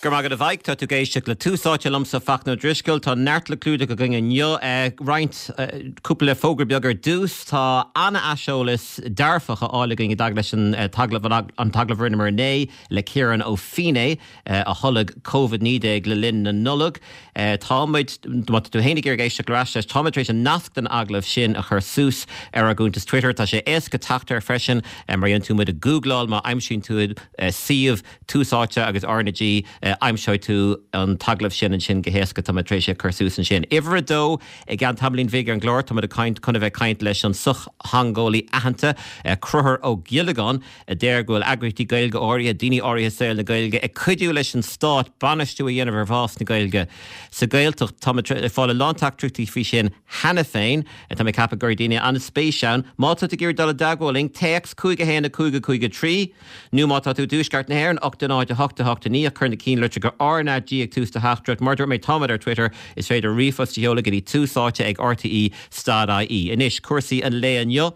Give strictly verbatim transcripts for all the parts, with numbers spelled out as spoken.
Go maith a bhaid tá tú ag éisteacht le Tús Áite liomsa Fachtna Ó Drisceoil tá neart le clúdach againn inniu roinnt cúpla fógra beag ar dtús tá an-aiseolas dearfach á fháil againn i dtaca leis an t-agallamh an t-agallamh a rinneamar inné le Ciarán Ó Fínné a tholg Covid naoi déag le linn na Nollag. Táimid má tá tú féin ag iarraidh éisteacht ar ais leis táimid tar éis an nasc den agallamh sin a chur suas ar ár gcuntas Twitter tá sé éasca teacht air freisin mar dhéanann tú muid a googláil má aimsíonn tú suíomh Tús Áite agus RnaG aimseoidh tú an t-agallamh sin ansin go héasca tá mé tar éis é chur suas ansin. Uimhir a dó i gceann tamaillín bhig ar an gclár tá muid ag caint chun a bheith ag caint leis an sochtheangeolaí aitheanta Conchúr Ó Giollagáin a deir go bhfuil eagraíochtaí Gaeilge áirithe, daoine áirithe saol na Gaeilge ag cuidiú leis an stát bainistiú a dhéanamh ar bhás na Gaeilge sa Ghaeltacht. Tá muid ag fáil a lán teachtaireachtaí faoi sin cheana féin. Tá mé ag ceapadh go bhfuil daoine an-spéis ann. Má tá tú ag iarraidh dul i dteagmháil linn, téacs cúig a haon a cúig a cúig a trí nó má tá tú i dtuaisceart na hÉireann, ocht a náid a hocht a hocht a naoi ach cuir na cinnlitreacha RnaG ag tús do theachtaireacht. Mar dúirt mé táimid ar Twitter, is féidir ríomhphost a sheoladh go dtí tús áite ag RTE stad IE. Anois cúrsaí an lae inniu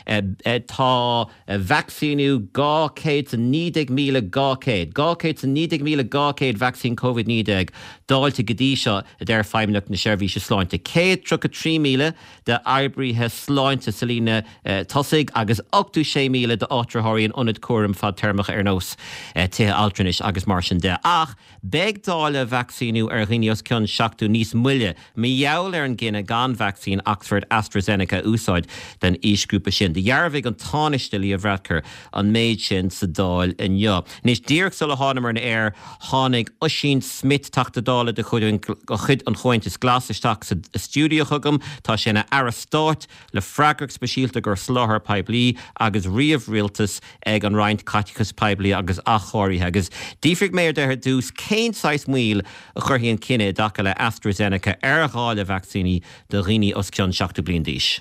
tá vacsaíniú dhá chéad is a naoi déag míle dhá chéad, dhá chéad is a naoi déag míle dhá chéad vacsaín Covid naoi déag dáilte go dtí seo a deir Feidhmeannacht na Seirbhíse Sláinte. Céad tríocha trí míle d'oibrithe sláinte sa líne tosaigh agus ochtó sé míle d'áitritheoirí in ionaid cúraim fadtéarmach ar nós tithe altranais agus mar sin de. Ach beidh dáileadh vacsaíniú ar dhaoine os cionn seachtó níos moille mar gheall ar an gcinneadh gan vacsaín Oxford AstraZeneca a úsáid don aoisghrúpa sin. Dhearbhaigh an Tánaiste Leo Varadkar an méid sin sa Dáil inniu. Anois díreach sula thánamar ar an aer tháinig Ossian Smyth Teachta Dála de chuid an Chomhaontais Glas isteach sa stiúideo chugam, tá sé ina aire stáit le freagracht speisialta don soláthar poiblí agus ríomhrialtas ag an Roinn Caiteachais Poiblí agus Athchóirithe. Agus d'fhiafraigh mé de ar dtús cén saghas moill a chuirfidh an cinneadh i dtaca le AstraZeneca ar dháileadh vacsaíní do dhaoine os cionn seachtó bliain d'aois.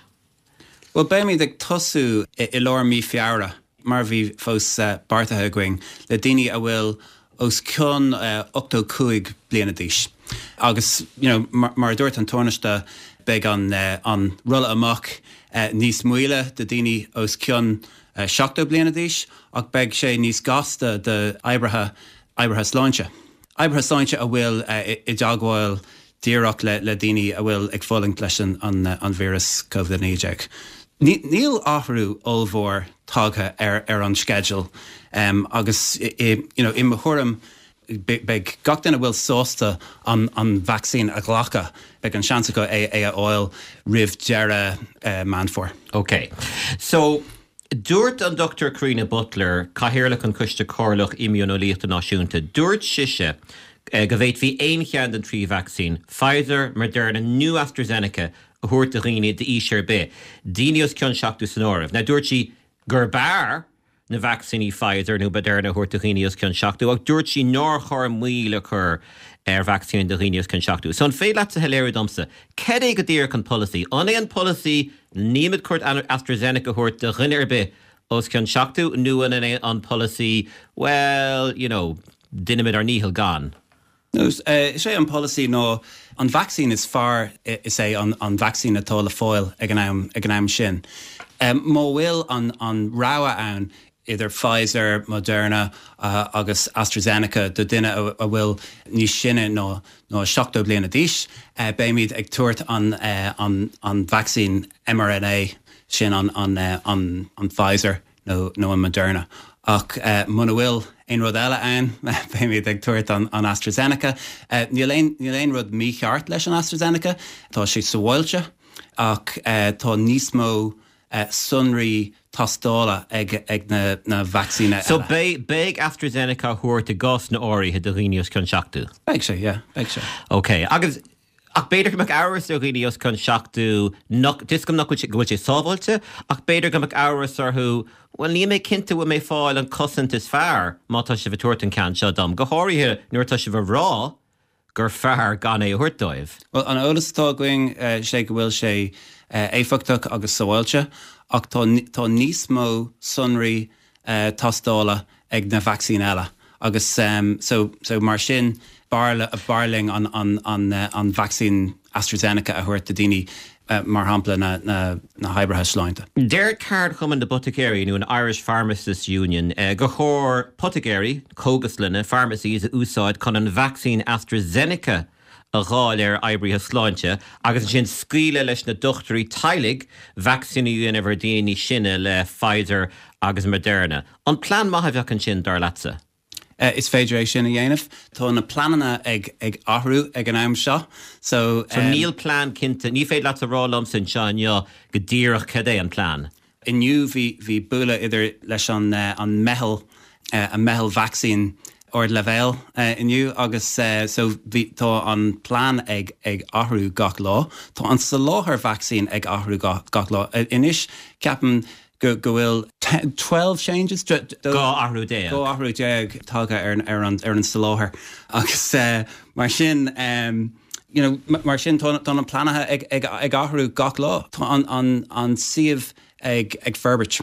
Well beimid ag tosú i lár mí Feabhra mar bhí fós beartaithe againn le daoine a bhfuil os cionn ochtó cúig bliana d'aois. Agus you know, mar, mar a dúirt an Tánaiste beidh an, an rolladh amach níos moille do daoine os cionn seachtó bliana d'aois ach beidh sé níos gasta d'oibrithe oibrithe sláinte. Oibrithe sláinte a bhfuil i dteagmháil díreach le, le daoine a bhfuil ag fulaingt leis an, an, an víreas Covid naoi déag. Níl athrú ollmhór tagtha ar, ar an sceideal um, agus i, you know, i mo thuairim beidh gach duine a bhfuil sásta an, an vacsaín a ghlacadh, beidh an seans acu é, é a fháil roimh deireadh uh, Meán Fómhair. Ok. So, dúirt an Dr Karina Butler, Cathaoirleach an Choiste Comhairleach Imdhíoneolaíochta Náisiúnta, dúirt sise go bhféadfaí aon cheann den trí vacsaín, Pfizer, Moderna nó AstraZeneca a thabhairt do dhaoine d'aois ar bith, daoine os cionn seachtó san áireamh. Now dúirt sí gur b'fhearr na vacsaíní Pfizer nó Moderna a thabhairt do dhaoine os cionn seachtó, ach dúirt sí nár chóir moill a chur ar vacsaín do dhaoine os cionn seachtó. So an féidir leat a shoiléiriú domsa, cad é go díreach an polasaí? An é an polasaí nílimid chun AstraZeneca a thabhairt do dhuine ar bith os cionn seachtó nó an é an polasaí, well, you know, déanaimid ár ndícheall gan? Is é an polasaí ná an vacsaín is fearr is é an, an vacsaín atá le fáil ag an am, ag an am sin. Um, má bhfuil an, an rogha ann idir Pfizer, Moderna uh, agus AstraZeneca do duine a, a bhfuil níos sine ná ná seachtó bliana d'aois, uh, beimid ag tabhairt an, uh, an, an vacsaín mRNA sin an, an, uh, an, an Pfizer nó, nó an Moderna. Ach uh, muna bhfuil aon rud eile ann beimid ag tabhairt an, an AstraZeneca. Uh, níl aon, níl aon rud mícheart leis an AstraZeneca, Tá sé sábháilte ach uh, tá níos mó uh, sonraí tástála ag, ag na, na vacsaíní. So beidh beidh AstraZeneca á thabhairt i gcásanna áirithe do dhaoine os cionn seachtó. Beidh sé, yeah, beidh sé. Ok, agus ach b'fhéidir go mbeadh amhras ar dhaoine os cionn seachtó tuigim nach go bhfuil sé sábháilte, ach b'fhéidir go mbeadh amhras orthu, well níl mé cinnte bhfuil mé ag fáil an cosaint is fearr má tá sibh ag tabhairt an ceann seo dom. Go háirithe nuair atá sibh ag rá gur fearr gan é a thabhairt dóibh. Well an eolas atá againn uh, sé go bhfuil sé uh, éifeachtach agus sábháilte, ach tá, tá níos mó sonraí uh, tástála ag na vacsaín eile. Agus um, so, so mar sin b'fhearr linn an, an, an, uh, an vacsaín AstraZeneca a thabhairt do daoine mar shampla na, na, na hoibrithe sláinte. Deir Ceardchumann na bPoiticéirí nó an Irish Pharmacists Union eh, gur chóir poiticéirí, cógaslanna, pharmacies a úsáid chun an vacsaín AstraZeneca a dháileadh ar oibrithe sláinte agus ansin scaoileadh leis na dochtúirí teaghlaigh vacsaíniú a dhéanamh ar daoine sine le Pfizer agus Moderna. An plean maith a bheadh ansin dar leatsa? Uh, is féidir é sin a dhéanamh. Tá na pleananna ag ag athrú ag an am seo. So, so um, níl plean cinnte, ní féidir leat a rá liom anseo inniu go díreach cad é an plean. Inniu bhí bhí bualadh idir leis an uh, an meitheal uh, an meitheal vacsaín ardleibhéil uh, inniu agus uh, so bhí tá an plean ag ag athrú gach lá. Tá an soláthar vacsaín ag athrú gach, gach lá. Uh, Anois ceapaim go go bhfuil twelve changes Dhá athrú déag. Dhá athrú déag tagtha ar ar an ar an soláthar agus uh, mar sin um, you know, mar sin tá an pleananna ag, ag, ag athrú gach lá Tá an, an, an suíomh ag, ag forbairt.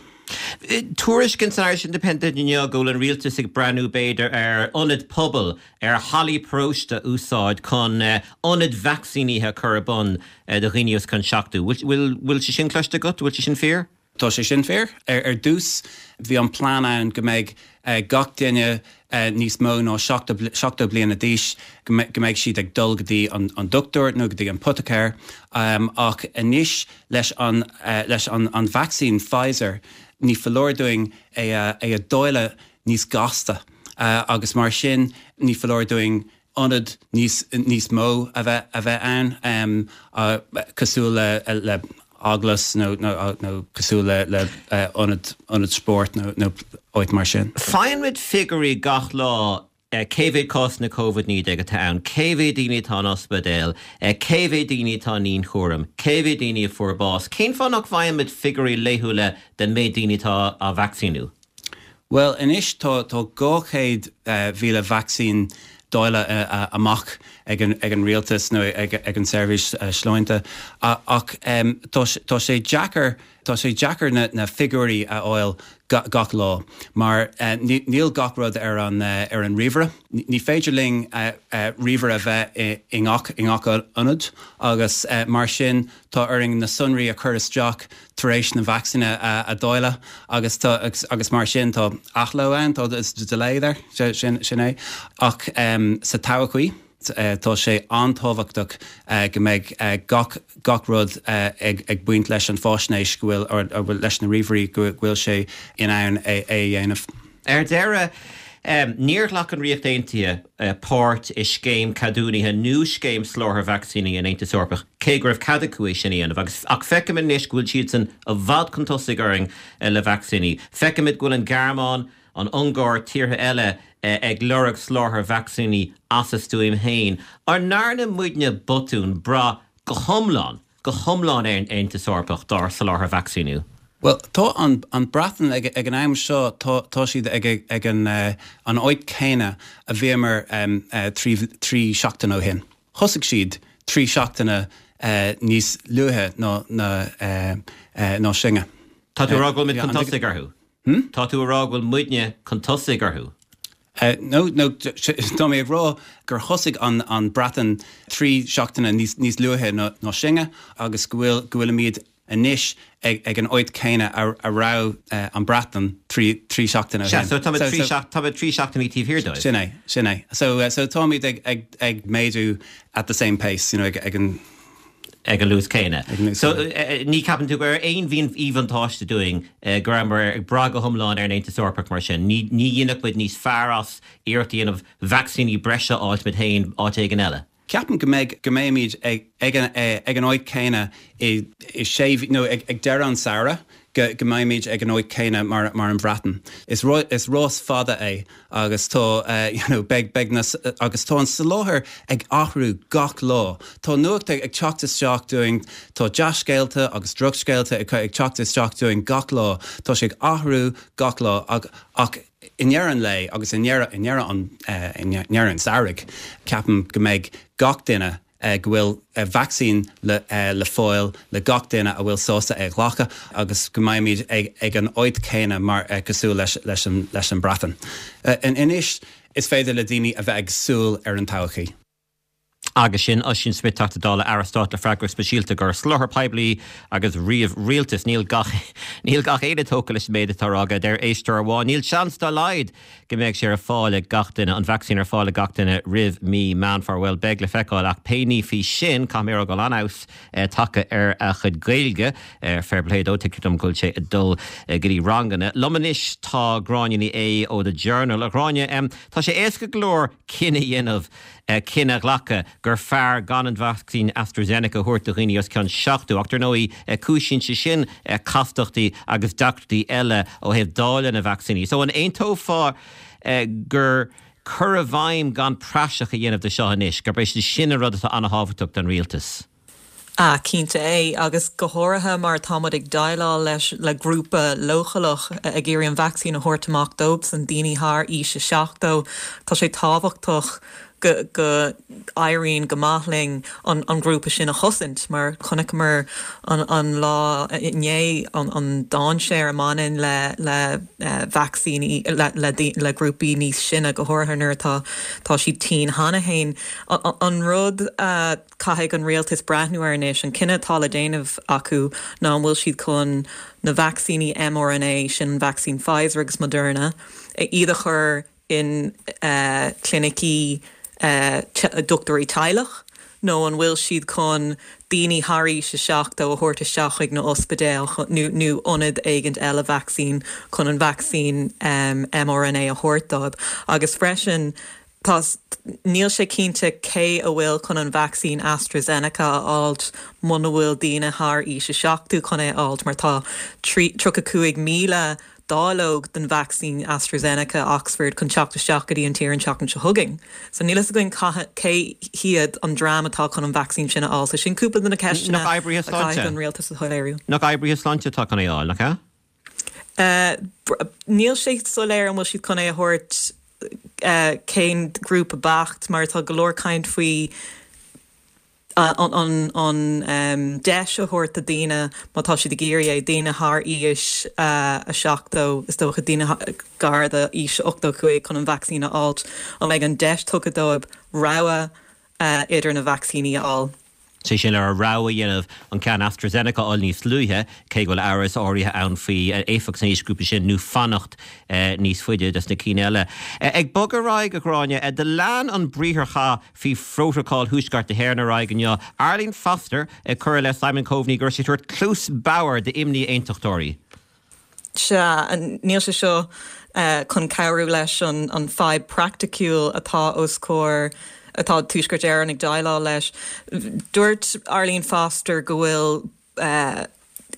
Tuairisc san Irish Independent inniu go bhfuil an rialtas ag breathnú b'fhéidir ar ionad pobail ar hallaí paróiste a úsáid chun ionad vacsaínithe chur ar bun do dhaoine os cionn seachtó. Bhfuil sé sin cloiste agat, bhfuil sé sin fíor? Tá sé sin fíor ar, ar dtús bhí an plean ann go mbeidh uh, gach duine uh, níos mó ná seachtó bliana d'aois go mbeidh siad ag dul go dtí an, an dochtúir nó go dtí an poiticéir um, ach anois leis an, uh, leis an, an vacsaín Pfizer ní foláir dúinn é a, é a dháileadh níos gasta uh, agus mar sin ní foláir dúinn ionad níos, níos mó a bheith a bheith ann um, uh, cosúil le, le eaglais nó nó nó cosúil le le uh, ionad ionad spóirt nó nó áit mar sin. Faigheann muid figiúirí gach lá cé mhéad cásanna Covid naoi déag atá ann, cé mhéad daoine atá in ospidéal, cé mhéad daoine atá i ndianchúram, cé mhéad daoine a fuair bás, Cén fáth nach bhfaighimid figiúirí laethúla den méid daoine atá á vacsaíniú? Well anois tá tá dhá chéad mhíle vacsaín dáilte uh, amach ag an, ag an rialtas nó ag, ag an seirbhís uh, sláinte ach um, tá sé deacair tá sé deacair na, na figiúirí a fháil gach lá mar uh, níl gach rud ar an uh, ar an ríomhaire. Ní féidir linn uh, uh, ríomhaire a bheith i ngach i ngach ionad agus uh, mar sin tá orainn na sonraí a chur isteach tar éis na vacsaíne a, a dháileadh agus tá, agus, agus mar sin tá athló ann tá is delay there sin, sin é ach um, sa todhchaí. Tá sé an-tábhachtach go mbeidh gach gach rud ag ag baint leis an fáisnéis go bhfuil leis na ríomhairí go bhfuil sé in ann é a dhéanamh. Ar deireadh um, níor ghlac an Ríocht Aontaithe uh, páirt i scéim ceadúnaithe nó scéim soláthair vacsaíní an Aontais Eorpaigh cé go raibh cead acu é sin a dhéanamh agus ach feicimid anois go bhfuil siad san i bhfad chun tosaigh orainn uh, le vacsaíní. Feicimid go bhfuil an Ghearmáin an Ungáir tíortha eile ag lorg soláthar vacsaíní as a stuaim féin. An ndearna muidne botún brath go hiomlán, go hiomlán ar an Aontas Eorpach dár soláthar vacsaíniú. Well tá an, an Bhreatain ag, ag an am seo tá, tá siad ag, ag an, uh, an áit céanna a bhíomar um, uh, trí, trí seachtain ó shin. Thosaigh siad trí seachtaine uh, níos luaithe ná, ná, uh, uh, ná sinne. Tá tú rá go bhfuil muid chun tosaigh orthu? Hmm? Tá tú rá go bhfuil muidne chun tosaigh orthu? Uh, no, no, tá mé ag rá gur thosaigh an, an Bhreatain trí seachtaine níos, níos luaithe ná, ná sinne agus go bhfuil go bhfuilimid anois ag, ag an áit céanna a, a raibh uh, an Bhreatain trí, trí seachtaine. So tá trí seachtainí taobh thiar dóibh. Sin é, sin é. So, uh, so táimid ag, ag, ag méadú at the same pace, you know, ag, ag an ag an luas céanna. So ní cheapann tú gur aon mhíbhuntáiste dúinn go rabhamar ag brath go hiomlán ar an Aontas Eorpach mar sin. Ní dhéanfadh muid níos fearr as iarracht a dhéanamh vacsaíní breise a fháil muid féin áit éigin eile. Ceapaim go mbeidh go mbeimid ag, ag, an, ag an áit céanna i, i sé nó ag, ag deireadh an samhradh go, go mbeimid ag an áit céanna mar, mar an Bhreatain. Is, ro, is rás fada é agus tá uh, you know, beidh, beidh na, agus tá an soláthar ag athrú gach lá. Tá nuacht ag, ag teacht isteach dúinn, tá dea-scéalta agus drochscéalta ag, ag teacht isteach dúinn gach lá. Tá sé ag athrú gach lá ach, ach i ndeireadh an lae agus i ndeireadh i ndeireadh an uh, i ndeireadh an samhraidh ceapaim go mbeidh gach duine uh, go bhfuil uh, vacsaín le, uh, le fáil le gach duine a bhfuil sásta é a ghlacadh agus go mbeimid ag, ag an áit céanna mar uh, cosúil leis, leis, an, leis an Bhreatain. Uh, in anois is féidir le daoine a bheith ag súil ar an todhchaí. Agus sin Ossian Smyth, Teachta Dála, Aire Stáit le freagracht speisialta do sholáthar poiblí agus ríomh-rialtas. Níl gach níl gach éinne tógtha leis an méid atá á rá aige. Deir éisteoir amháin, níl seans dá laghad go mbeidh sé ar fáil ag gach duine, an vacsaín ar fáil ag gach duine roimh mí Meán Fómhair. Bhuel, beidh le feiceáil, ach pé ní faoi sin, caithfidh mé a rá go bhfuil an-fheabhas tagtha ar a chuid Gaeilge. Fair play dó, tuigtear dom go bhfuil sé ag dul go dtí ranganna. Liom anois tá Gráinne Ní Aodha ó The Journal. A Ghráinne, tá sé éasca go leor cinneadh a dhéanamh, cinneadh a ghlacadh gur fearr gan an vacsaín AstraZeneca a thabhairt do dhaoine os cionn seachtó, ach dar ndóigh cúisíonn sé sin castachtaí agus deacrachtaí eile ó thaobh dáileadh na vacsaíní. So an aontófá gur cur i bhfeidhm gan praiseach a dhéanamh de seo anois, gurb é sin an rud atá an-thábhachtach don rialtas? Ah, cinnte é, agus go háirithe mar táimid ag déileáil leis le grúpa leochaileach ag iarraidh an vacsaín a thabhairt amach dóibhsan, daoine thar aois a seachtó. Tá sé tábhachtach go go éiríonn go maith linn an an grúpa sin a chosaint, mar chonaiceamar an an lá inné an an dainséar a mbaineann le le vacsaíní le le le grúpaí níos sine, go háirithe nuair atá tá siad tinn cheana féin. An rud a caithfidh an rialtas breathnú air anois, an cinneadh atá le déanamh acu ná an bhfuil siad chun na vacsaíní m R N A sin, an vacsaín Pfizer agus Moderna, iad a chur in clinicí dochtúirí teaghlach, nó an bhfuil siad chun daoine thar aois a seachtó a thabhairt isteach chuig na ospidéil nó nó ionad éigin eile vacsaín chun an vacsaín m R N A a thabhairt dóibh. Agus freisin tá níl sé cinnte cé a bhfuil chun an vacsaín AstraZeneca a fháilt muna bhfuil daoine thar aois a seachtó chun é a fháilt, mar tá tríocha cúig míle dáileog den vacsaín AstraZeneca Oxford chun teacht isteach go dtí an tír an tseachtain seo chugainn. So níl a fhios againn cé hiad an dream atá chun an vacsaín sin a fháil, so sin cúpla de na ceisteanna Nach oibrithe sláinte an rialtas a shoiléiriú. Nach oibrithe sláinte atá chun é a fháil, nach ea? Níl sé soiléir an bhfuil siad chun é a thabhairt cén grúpa beacht, mar tá go leor caint faoi an an an deis a thabhairt do daoine má tá siad ag iarraidh é, daoine thar aois a seachtó, is dócha daoine gar d'aois ochtó cúig chun an vacsaín a fháilt, an mbeidh an deis tugtha dóibh rogha idir na vacsaíní a fháil. Sé sin le rogha a dhéanamh an ceann AstraZeneca a fháil níos luaithe, cé go bhfuil amhras áirithe ann faoi éifeacht san aoisghrúpa sin, nó fanacht níos faide des na cinn eile. Ag bogadh ar aghaidh, a Ghráinne, do lean an briatharchath faoi phrótacal Thuaisceart na hÉireann ar aghaidh inniu. Arlene Foster ag cur i leith Simon Coveney go raibh sé ag tabhairt cluas bhodhar d'imní aontachtóirí. Sea, níl sé seo chun cabhrú leis an an fadhb praiticiúil atá os comhair atá Tuaisceart Éireann ag déileáil leis. Dúirt Arlene Foster go bhfuil uh,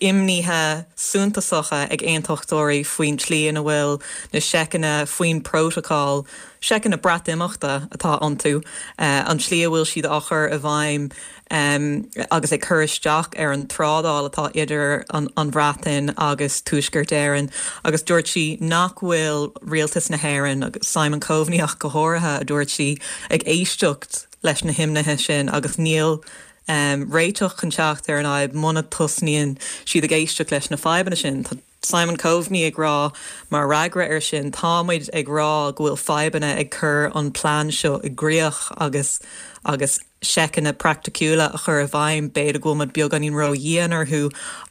imníthe suntasacha ag aontachtóirí faoin tslí ina bhfuil na seiceanna faoin protocol, seiceanna Breatimeachta atá iontu, uh, an tslí a bhfuil siad á chur i bhfeidhm um, agus ag cur isteach ar an trádáil atá idir an, an Bhreatain agus Tuaisceart Éireann, agus dúirt sí nach bhfuil rialtas na hÉireann agus Simon Coveney ach go háirithe, a dúirt sí, ag éisteacht leis na himnithe sin agus níl um, réiteach chun teacht ar an fhadhb muna dtosnaíonn siad ag éisteacht leis na fadhbanna sin. Tá Simon Coveney ag rá mar fhreagra ar sin, táimid ag rá go bhfuil fadhbanna ag cur an plean seo i gcrích agus agus seiceanna praiticiúla a chur i bhfeidhm, b'fhéidir go bhfuil beagáinín ródhian orthu,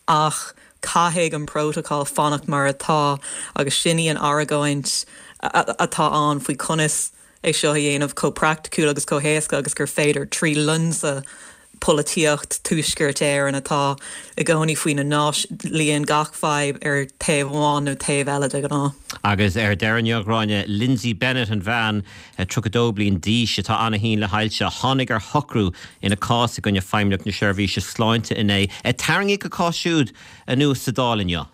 ach caithfidh an protocol fanacht mar atá, agus sin í an argóint atá ann faoi conas é seo a dhéanamh chomh praiticiúil agus chomh héasca agus gur féidir trí lionsa polaitíocht Tuaisceart Éireann atá i gcónaí faoi na náis líon gach fadhb ar taobh amháin nó taobh eile de ghnáth. Agus ar deireadh, a Ghráinne, Lindsay Bennett, an bhean tríocha dó bliain d'aois atá ana-thinn le hailse, tháinig ar shocrú ina cás i gcoinne Feidhmeannacht na Seirbhíse Sláinte inné. Tarraingíodh a cás siúd anuas sa Dáil inniu.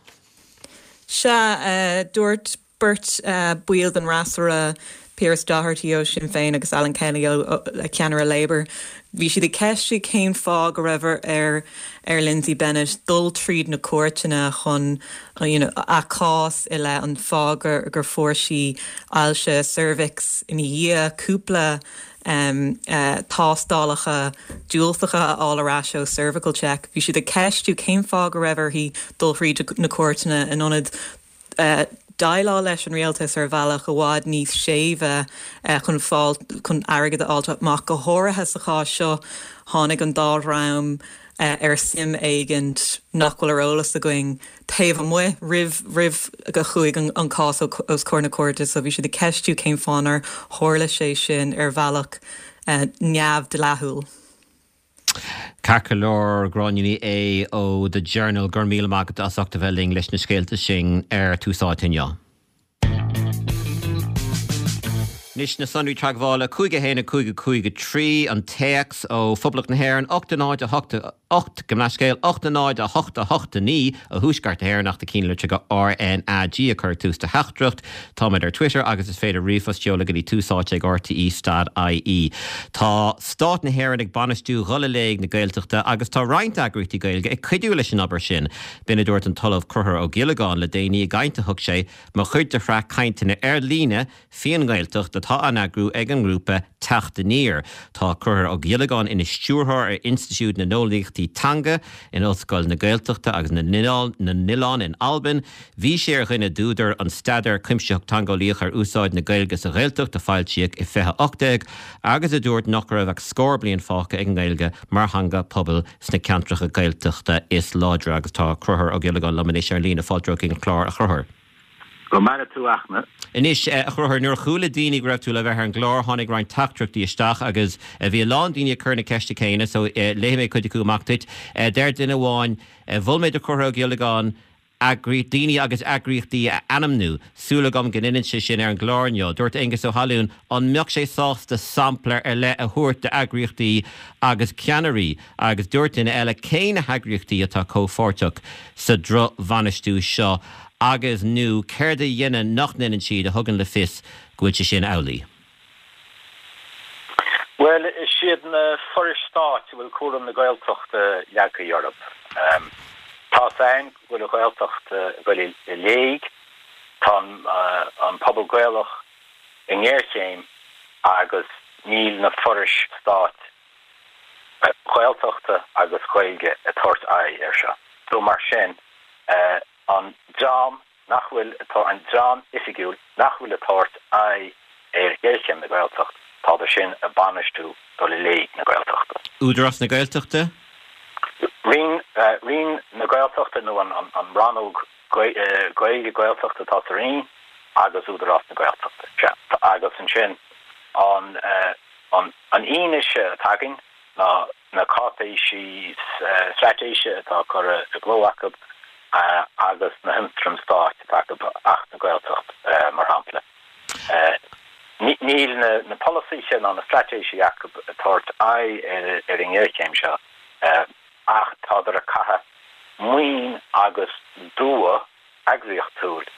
Sea, dúirt beirt baill den fhreasúra, Pearse Doherty ó Sinn Féin agus Alan Kelly ó ceannaire Labour, bhí siad ag ceistiú cén fáth go raibh ar ar Lindsay Bennett dul tríd na cúirteanna chun you know, a cás i leith an fáth gur, gur fuair sí ailse ceirbheacs ina dhiaidh cúpla um, uh, tástálacha diúltacha a fháil ar ais ó cervical check. Bhí siad ag ceistiú cén fáth go raibh uirthi dul thríd na cúirteanna in ionad uh, déileáil leis an rialtas ar bhealach i bhfad níos séimhe chun fáil chun airgead a fháil amach go háirithe sa chás seo tháinig an dá dhream ar suim éigin nach bhfuil ar eolas againn taobh amuigh roimh roimh go chuaigh an, an cás os comhair na cúirte so bhí siad ag ceistiú cén fáth ar tharla sé sin ar bhealach uh, neamhdhleathúil. Ceart go leor Gráinne Ní Aodha ó The Journal gur míle maith agat as ucht a bheith linn leis na scéalta sin ar Tús Áite inniu. Anois na sonraí teagmhála cúig a haon a cúig a cúig a trí an téacs ó Phoblacht na hÉireann ocht a náid a hocht a ocht gabh mo leithscéal ocht a náid a hocht a hocht a naoi ó Thuaisceart na hÉireann ach do chinnlitreacha go RnaG a chur tús do theachtaireacht. Táimid ar Twitter agus is féidir ríomhphost a sheoladh go dtí tús áite ag RTE stad IE. Tá Stát na hÉireann ag bainistiú dhul i léig na Gaeltachta agus tá roinnt eagraíochtaí Gaeilge ag cuidiú leis an obair sin. B'in a dúirt an tOllamh Conchúr Ó Giollagáin le déanaí i gcaint a thug sé mar chuid de shraith cainteanna ar líne faoin nGaeltacht atá á n-eagrú ag an ngrúpa Teacht Aniar. Tá Conchúr Ó Giollagáin ina stiúrthóir ar Institiúid na nEolaíochtaí Teanga in Ollscoil na Gaeltachta agus na nOileán in Albain. Bhí sé ar dhuine d'údair an staidéar cuimsitheach teangeolaíoch ar úsáid na Gaeilge sa Ghaeltacht a foilsíodh i fiche ocht déag agus a dúirt nach raibh ach scór bliain fágtha ag an nGaeilge mar theanga pobail sna ceantracha Gaeltachta is láidre agus tá Conchúr Ó Giollagáin liom anois ar líne fáilte chuig an chlár a Chonchúir. Go maire tú a Fhachtna. Anois a Chonchúir nuair a chuala daoine go raibh tú le bheith ar an gclár tháinig roinnt teachtaireachtaí isteach agus bhí a lán daoine ag cur na ceiste céanna so léifidh mé cuid acu amach duit. Deir duine amháin mhol mé do Chonchúr Ó Giollagáin eagraí daoine agus eagraíochtaí a ainmniú súil agam go ndéanfaidh sé sin ar an gclár inniu. Dúirt Aengus Ó hAlún an mbeadh sé sásta sampla ar leith a thabhairt d'eagraíochtaí agus ceannairí agus dúirt duine eile cé na heagraíochtaí atá comhpháirteach sa drochbhainistiú seo agus nó céard a dhéanann nach ndéanann siad a thugann le fios go bhfuil sé sin amhlaidh. Well is iad na forais stáit a bhfuil cúram na Gaeltachta leagtha orthu. Um, tá féin bhfuil an Ghaeltacht ag dul i léig, tá uh, an pobal Gaelach i ngéarchéim agus níl na forais stáit Ghaeltachta agus Ghaeilge ag tabhairt aghaidh air seo. So mar sin uh, an dream nach bhfuil atá an dream oifigiúil nach bhfuil ag tabhairt aghaidh ar ghéarchéim na Gaeltacht tá sin ag bainistiú dul i léig na Gaeltachta. Údarás na Gaeltachta? Roinn uh, Roinn na Gaeltachta nó an, an, an rannóg Gaeilge Gaeltachta tá sa Roinn agus Údarás na Gaeltachta. agus ansin an uh, an an fhianaise atá againn ná na cáipéisí uh, straitéise atá curtha i gcló acu uh, agus na hionstraim stáit atá acu Acht na Gaeltacht uh, mar shampla. Uh, Níl na, na polasaithe ná na straitéisí acu ag tabhairt aghaidh ar, ar an ngéarchéim seo uh, ach tádar ag caitheamh maoin agus dua eagraíochtúil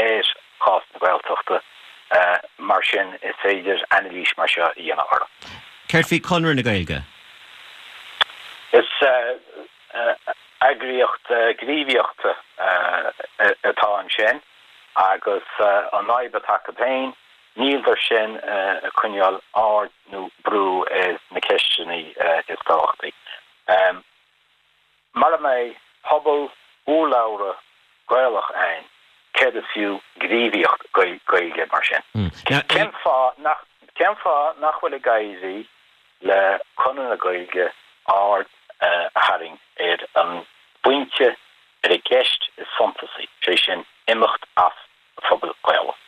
ar chás na Gaeltachta uh, mar sin is féidir anailís mar seo a dhéanamh orthu. Céard faoi Conradh na Gaeilge? Is uh, uh, eagraíocht uh, gníomhaíochta uh, atá ansin agus uh, an fhadhb atá acu féin níl sin uh, ag coinneáil aird nó brú ar na ceisteanna uh, is tábhachtaí. Um, Mar mé pobal úlaura Gaelach ein, céard is fiú gníomhaíocht Gaeilge mar sin. Mm. Cén fáth nach cén fáth nach bhfuil ag éirí le Conradh na Gaeilge aird uh, a tharraingt ar an bpointe ar an gceist is suntasaí sé sin imeacht as phobal Gaelach.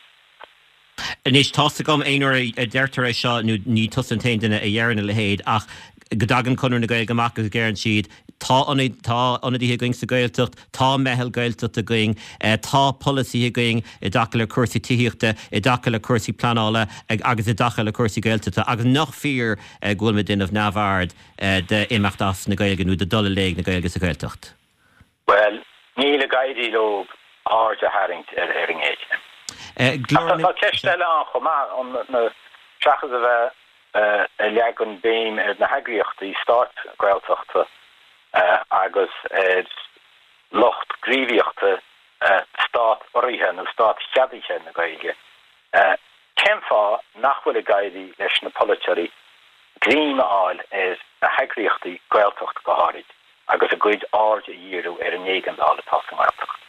Anois tá gom aon a deirtear é seo nó ní tusa an t-aon duine a deireann a leithéid ach go dtagann Conradh na Gaeilge amach agus deireann siad tá tá ionadaithe againn sa Ghaeltacht, tá meitheal Gaeltacht againn, tá polasaí againn i dtaca le cúrsaí tithíochta, i dtaca le cúrsaí pleanála agus i dtaca le cúrsaí Gaeltachta agus nach fíor go bhfuil muid ag déanamh neamhaird d'imeacht as na Gaeilge nó de dul i léig na Gaeilge sa Ghaeltacht. Well, níl ag éirí leo aird a tharraingt ar ar an ngéarchéim. Tá ceist eile ann chomh maith seachas a bheith ag leagan béim ar na heagraíochtaí stáit Gaeltachta agus ar lucht gníomhaíochta stát-urraithe nó stát-cheadaithe na Gaeilge. Cén fáth nach bhfuil ag éirí leis na polaiteoirí greim a fháil ar na heagraíochtaí Gaeltacht go háirid agus a gcuid aird a dhíriú ar an éigeandáil atá sa nGaeltacht.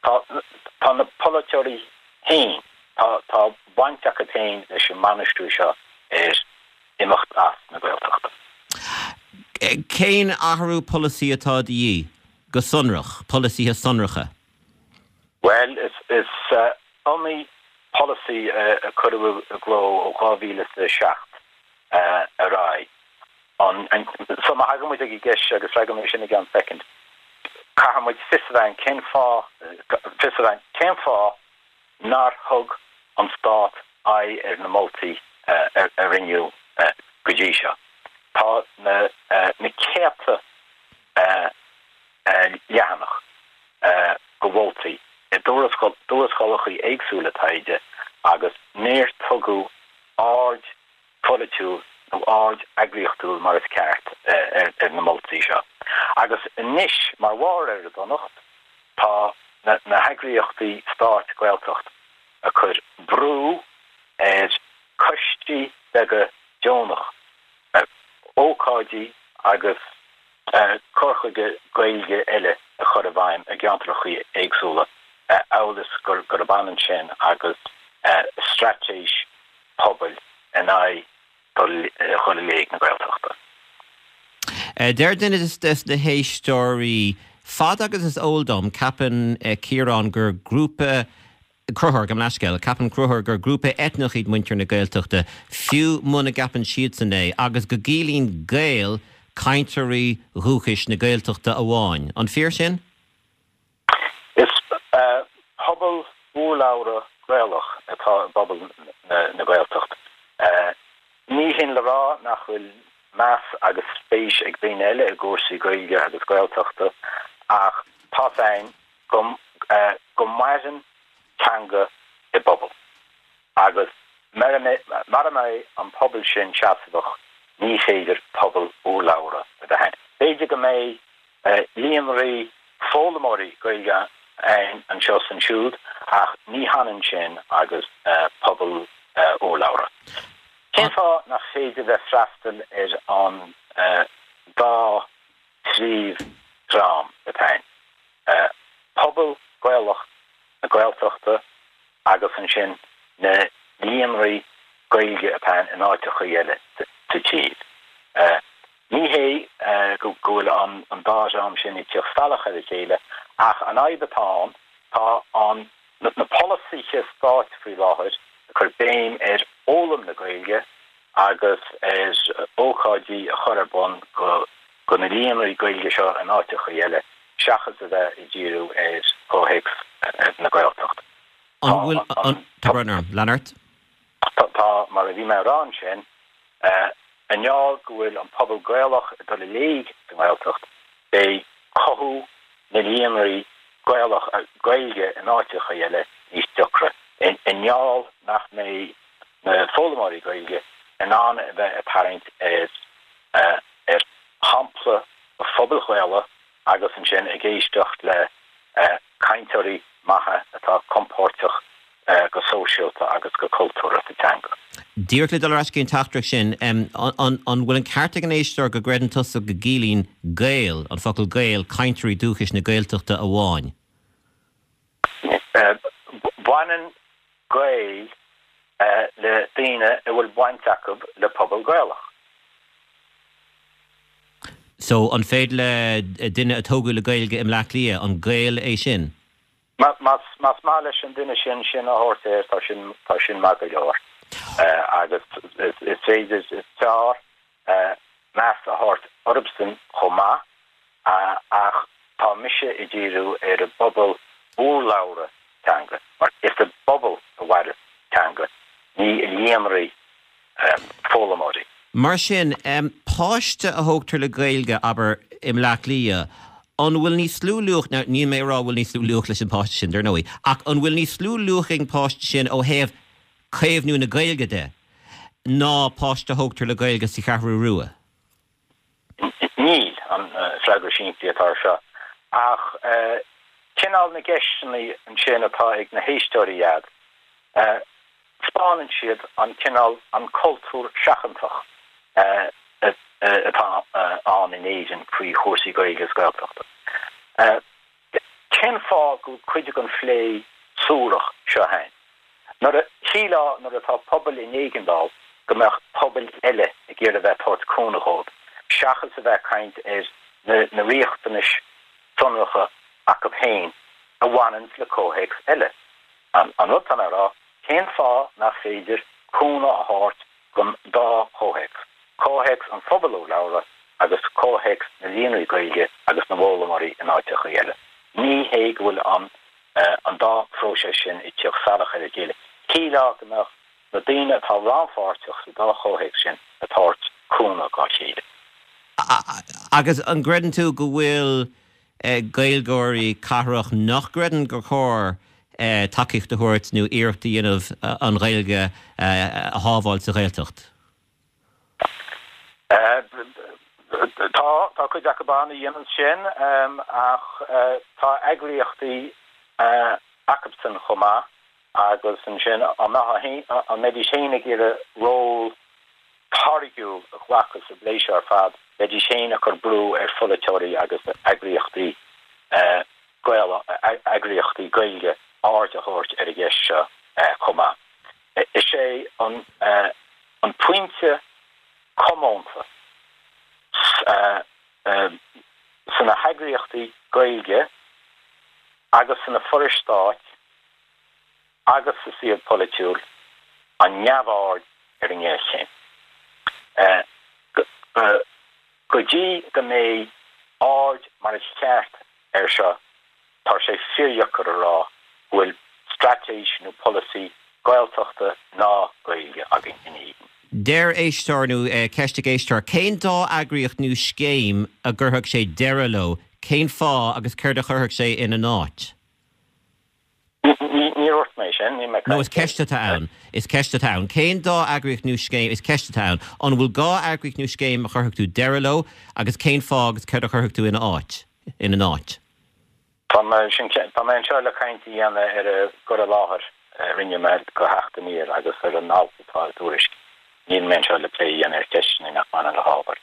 Tá Tá tá na polaiteoirí féin, tá tá baint acu féin leis an mbainistiú seo ar imeacht as na Gaeltachta. Cén athrú polasaí atá de dhíth go sonrach, polasaithe sonracha? Bhuel, is is iomaí polasaí a cuireadh i gcló ó dhá mhíle is a seacht ar aghaidh. An so má thagann muid ag an gceist seo, agus freagróidh mé sin i gceann soicind, caithfidh muid fios a bheith cén fáth fios a bheith cén fáth nár thug an stát aghaidh ar na moltaí a rinneadh go dtí seo. Tá na na céadta leathanach de mholtaí i dtuarascálacha éagsúla taighde agus níor tugadh aird pholaitiúil nó aird eagraíochtúil mar is ceart ar na moltaí seo. Agus anois, mar bharr ar an donacht, tá na heagraíochtaí stáit Gaeltacht ag cur brú ar choistí beaga deonach, ócáidí agus cur chuige Gaeilge eile a chur i bhfeidhm i gceantracha éagsúla, amhail is gurb ionann sin agus straitéis pobail in aghaidh dhul i léig na Gaeltachta. Deir duine des na héisteoirí, Fad agus is eol dom, ceapann Ciarán gur grúpa, Conchúr, gabh mo leithscéal, ceapann Conchúr gur grúpa eitneach iad muintir na Gaeltachta, fiú muna gceapann siadsan é, agus go gciallaíonn Gael cainteoirí dhúchais na Gaeltachta amháin. An fíor sin? Is pobal urlabhra Gaelach atá i bpobal na Gaeltacht. Ní hin le rá nach bhfuil meas agus spéis ag daoine eile i gcúrsaí Gaeilge agus Gaeltachta ach tá féin go go maireann teanga i bpobal agus mura mbeidh an pobal sin seasmhach ní féidir pobal urlabhra a bheith ann. B'fhéidir go mbeidh líonraí foghlaimeoirí Gaeilge ann anseo is ansiúd ach ní hionann sin agus pobal urlabhra. Cén fáth nach féidir bheith freastal ar an dá phríomhdhream atá ann, pobal Gaelach na Gaeltachta agus ansin na líonraí Gaeilge atá ann in áiteacha eile sa tír? Ní hé go bhfuil an dá dhream sin ag teacht salach ar a chéile ach an fhadhb atá ann, tá an na polasaithe stáit faoi láthair ag cur béim ar fhoghlaim na Gaeilge agus ar ócáidí a chur ar bun go na líonraí Gaeilge seo in áiteacha eile seachas a bheith ag díriú ar chomhthéacs na Gaeltachta. An bhfuil an, tá brón orm, lean ort. Tá, mar a bhí mé a rá ansin, i ngeall go bhfuil an pobal Gaelach ag dul i léig sa nGaeltacht, beidh cothú na líonraí Gaelach, Gaeilge in áiteacha eile níos deacra, i ngeall nach mbeidh na foghlaimeoirí Gaeilge in ann a bheith ag tarraingt ar ar shampla an phobail Ghaelaigh agus ansin ag éisteacht le cainteoirí maithe atá compordach go sóisialta agus go cultúrtha sa teanga. Díreach le dul ar ais go dtí an teachtaireacht sin, an bhfuil an ceart ag an éisteoir go gcreideann tusa go gciallaíonn Gael, an focal Gael, cainteoirí dúchais na Gaeltachta amháin? Baineann Gael le daoine a bhfuil baint acu le pobal Gaelach. So, an féidir le duine a tógadh le Gaeilge i mBleá Cliath, an Gael é sin? Más maith leis an duine sin sin a thabhairt air, tá sin, tá sin maith go leor. Agus is féidir, is fearr meas a thabhairt orthusan chomh maith, ach tá mise ag díriú ar an bpobal urlabhra teanga, mar is i bpobal a mhaireas teanga, ní i líonraí foghlaimeoirí. Mar sin, páiste a thógtar le Gaeilge, abair, i mBleá Cliath, an bhfuil níos lú luach, now níl mé ag rá bhfuil níos lú luach leis an bpáiste sin, dar ndóigh, ach an bhfuil níos lú luach ag an bpáiste sin ó thaobh caomhnú na Gaeilge de ná páiste a thógtar le Gaeilge sa Cheathrú Rua? Níl, an freagra simplí atá ar seo. Ach cineál na gceisteanna ansin atá ag na héisteoirí iad, 'spáineann siad an cineál, an cultúr seachantach atá ann in Éirinn faoi chúrsaí Gaeilge is Gaeltachta. Cén fáth go bhfuil cuid den phlé suarach seo ann? Nuair a shílfeá nuair atá pobal in éigeandáil go mbeadh pobail eile ag iarraidh a bheith ag tabhairt cúnamh dhóibh, seachas a bheith ag caint ar na riachtanais sonracha acu féin a bhaineanns le comhthéacs eile. An rud atá mé a rá, cén fáth nach féidir cúnamh a thabhairt don dá chomhthéacs, comhthéacs an phobail urlabhra agus comhthéacs na líonraí Gaeilge agus na bhfoghlaimeoirí in áiteacha eile? Ní hé go bhfuil an an dá phróiseas sin ag tíocht salach ar a chéile. Shílfeá go mbeadh na daoine atá rannpháirteach sa dá chomhthéacs sin ag tabhairt cúnamh dá chéile. Agus an gcreideann tú go bhfuil Gaeilgeoirí cathrach nach gcreideann gur chóir tacaíocht a thabhairt nó iarracht a dhéanamh an Ghaeilge a shábháil sa Ghaeltacht? Tá, tá cuid acu ann a dhéanann sin ach tá eagraíochtaí acusan chomh maith agus ansin an an mbeidís féin ag iarraidh ról táirgiúil a ghlacadh sa bplé seo ar fad, bheidís féin ag cur brú ar pholaiteoirí agus eagraíochtaí Gael eagraíochtaí Gaeilge aird a thabhairt ar an gceist seo chomh maith. Is é an an pointe comónta sna heagraíochtaí Gaeilge agus sna forais stáit agus sa saol polaitiúil an neamhaird ar an ngéarchéim. Go dtí go mbeidh aird mar is ceart air seo, tá sé fíordheacair a rá go bhfuil straitéis nó polasaí Gaeltachta ná Gaeilge againn in Éirinn. Deir éisteoir nó ceist ag éisteoir, cén dá eagraíocht nó scéim a gcuirfeadh sé deireadh leo, cén fáth agus céard a chuirfeadh sé ina n-áit? Ní dúirt mé sin, níl mé No, is ceist atá ann. Is ceist atá ann. Cén dá eagraíocht nó scéim, is ceist atá ann. An bhfuil dhá eagraíocht nó scéim a chuirfeadh tú deireadh leo agus cén fáth agus céard a chuirfeadh tú ina áit, ina n-áit? Tá mé sin, tá mé anseo le caint a dhéanamh ar an gcur i láthair a rinne mé do Theacht Aniar agus ar an alt atá i dTuairisc. Níl mé anseo le plé a dhéanamh ar cheisteanna nach mbaineann le hábhar.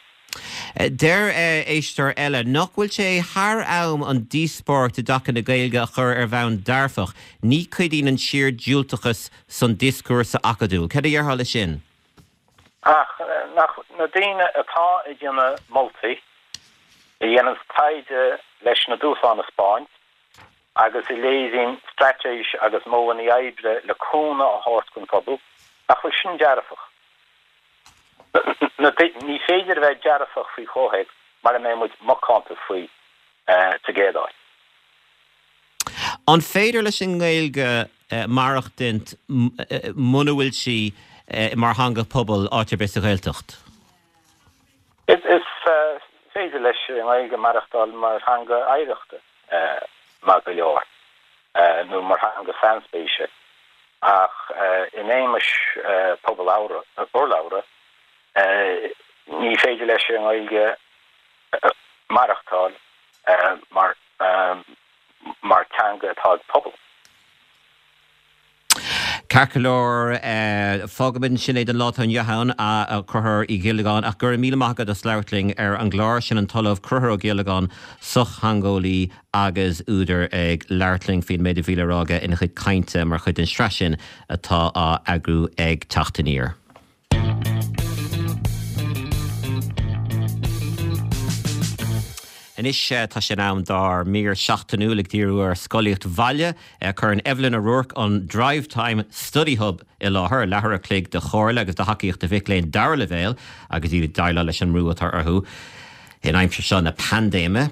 Deir éisteoir eile nach bhfuil sé thar am an díospóireacht i dtaca na Gaeilge a chur ar bhonn dearfach, ní chuidíonn an síor-diúltachas san dioscúrsa acadúil. Cad a dhéarfá leis sin? Ach nach na daoine atá ag déanamh moltaí, a dhéananns taighde leis na dúshláin a 'speáint, agus a léiríonn straitéis agus modhanna oibre le cúnamh a thabhairt don phobal, nach bhfuil sin dearfach? Ní féidir a bheith dearfach faoi chomhthéacs mara mbeidh muid macánta faoi sa gcéad áit. An féidir leis an nGaeilge maireachtaint muna bhfuil sí mar theanga pobail áit ar bith sa Ghaeltacht? Is féidir leis an nGaeilge maireachtáil mar theanga oidhreachta maith go leor, nó mar theanga sainspéise, ach in éagmais pobal urlabhra, ní féidir leis an nGaeilge maireachtáil mar mar teanga atá ag pobal. Ceart go leor, fágfaimid ansin é don lá atá inniu ann, a Chonchúir Uí Ghiollagáin, ach go raibh míle maith agat as labhairt linn ar an gclár. Sin an tOllamh Conchúr Ó Giollagáin, sochtheangeolaí agus údar ag labhairt linn faoin méid a bhí le rá aige ina chuid cainte mar chuid den sraith sin atá á eagrú ag Teacht Aniar. Anois tá sé in am dár mír seachtainiúil ag díriú ar scolaíocht bhaile. Cuireann Evelyn O'Rourke an Drivetime Study Hub i láthair, leathuair a chloig de chomhairle agus de thacaíocht do mhic léinn dara leibhéal agus iad ag déileáil leis an mbrú atá orthu in aimsir seo na paindéime.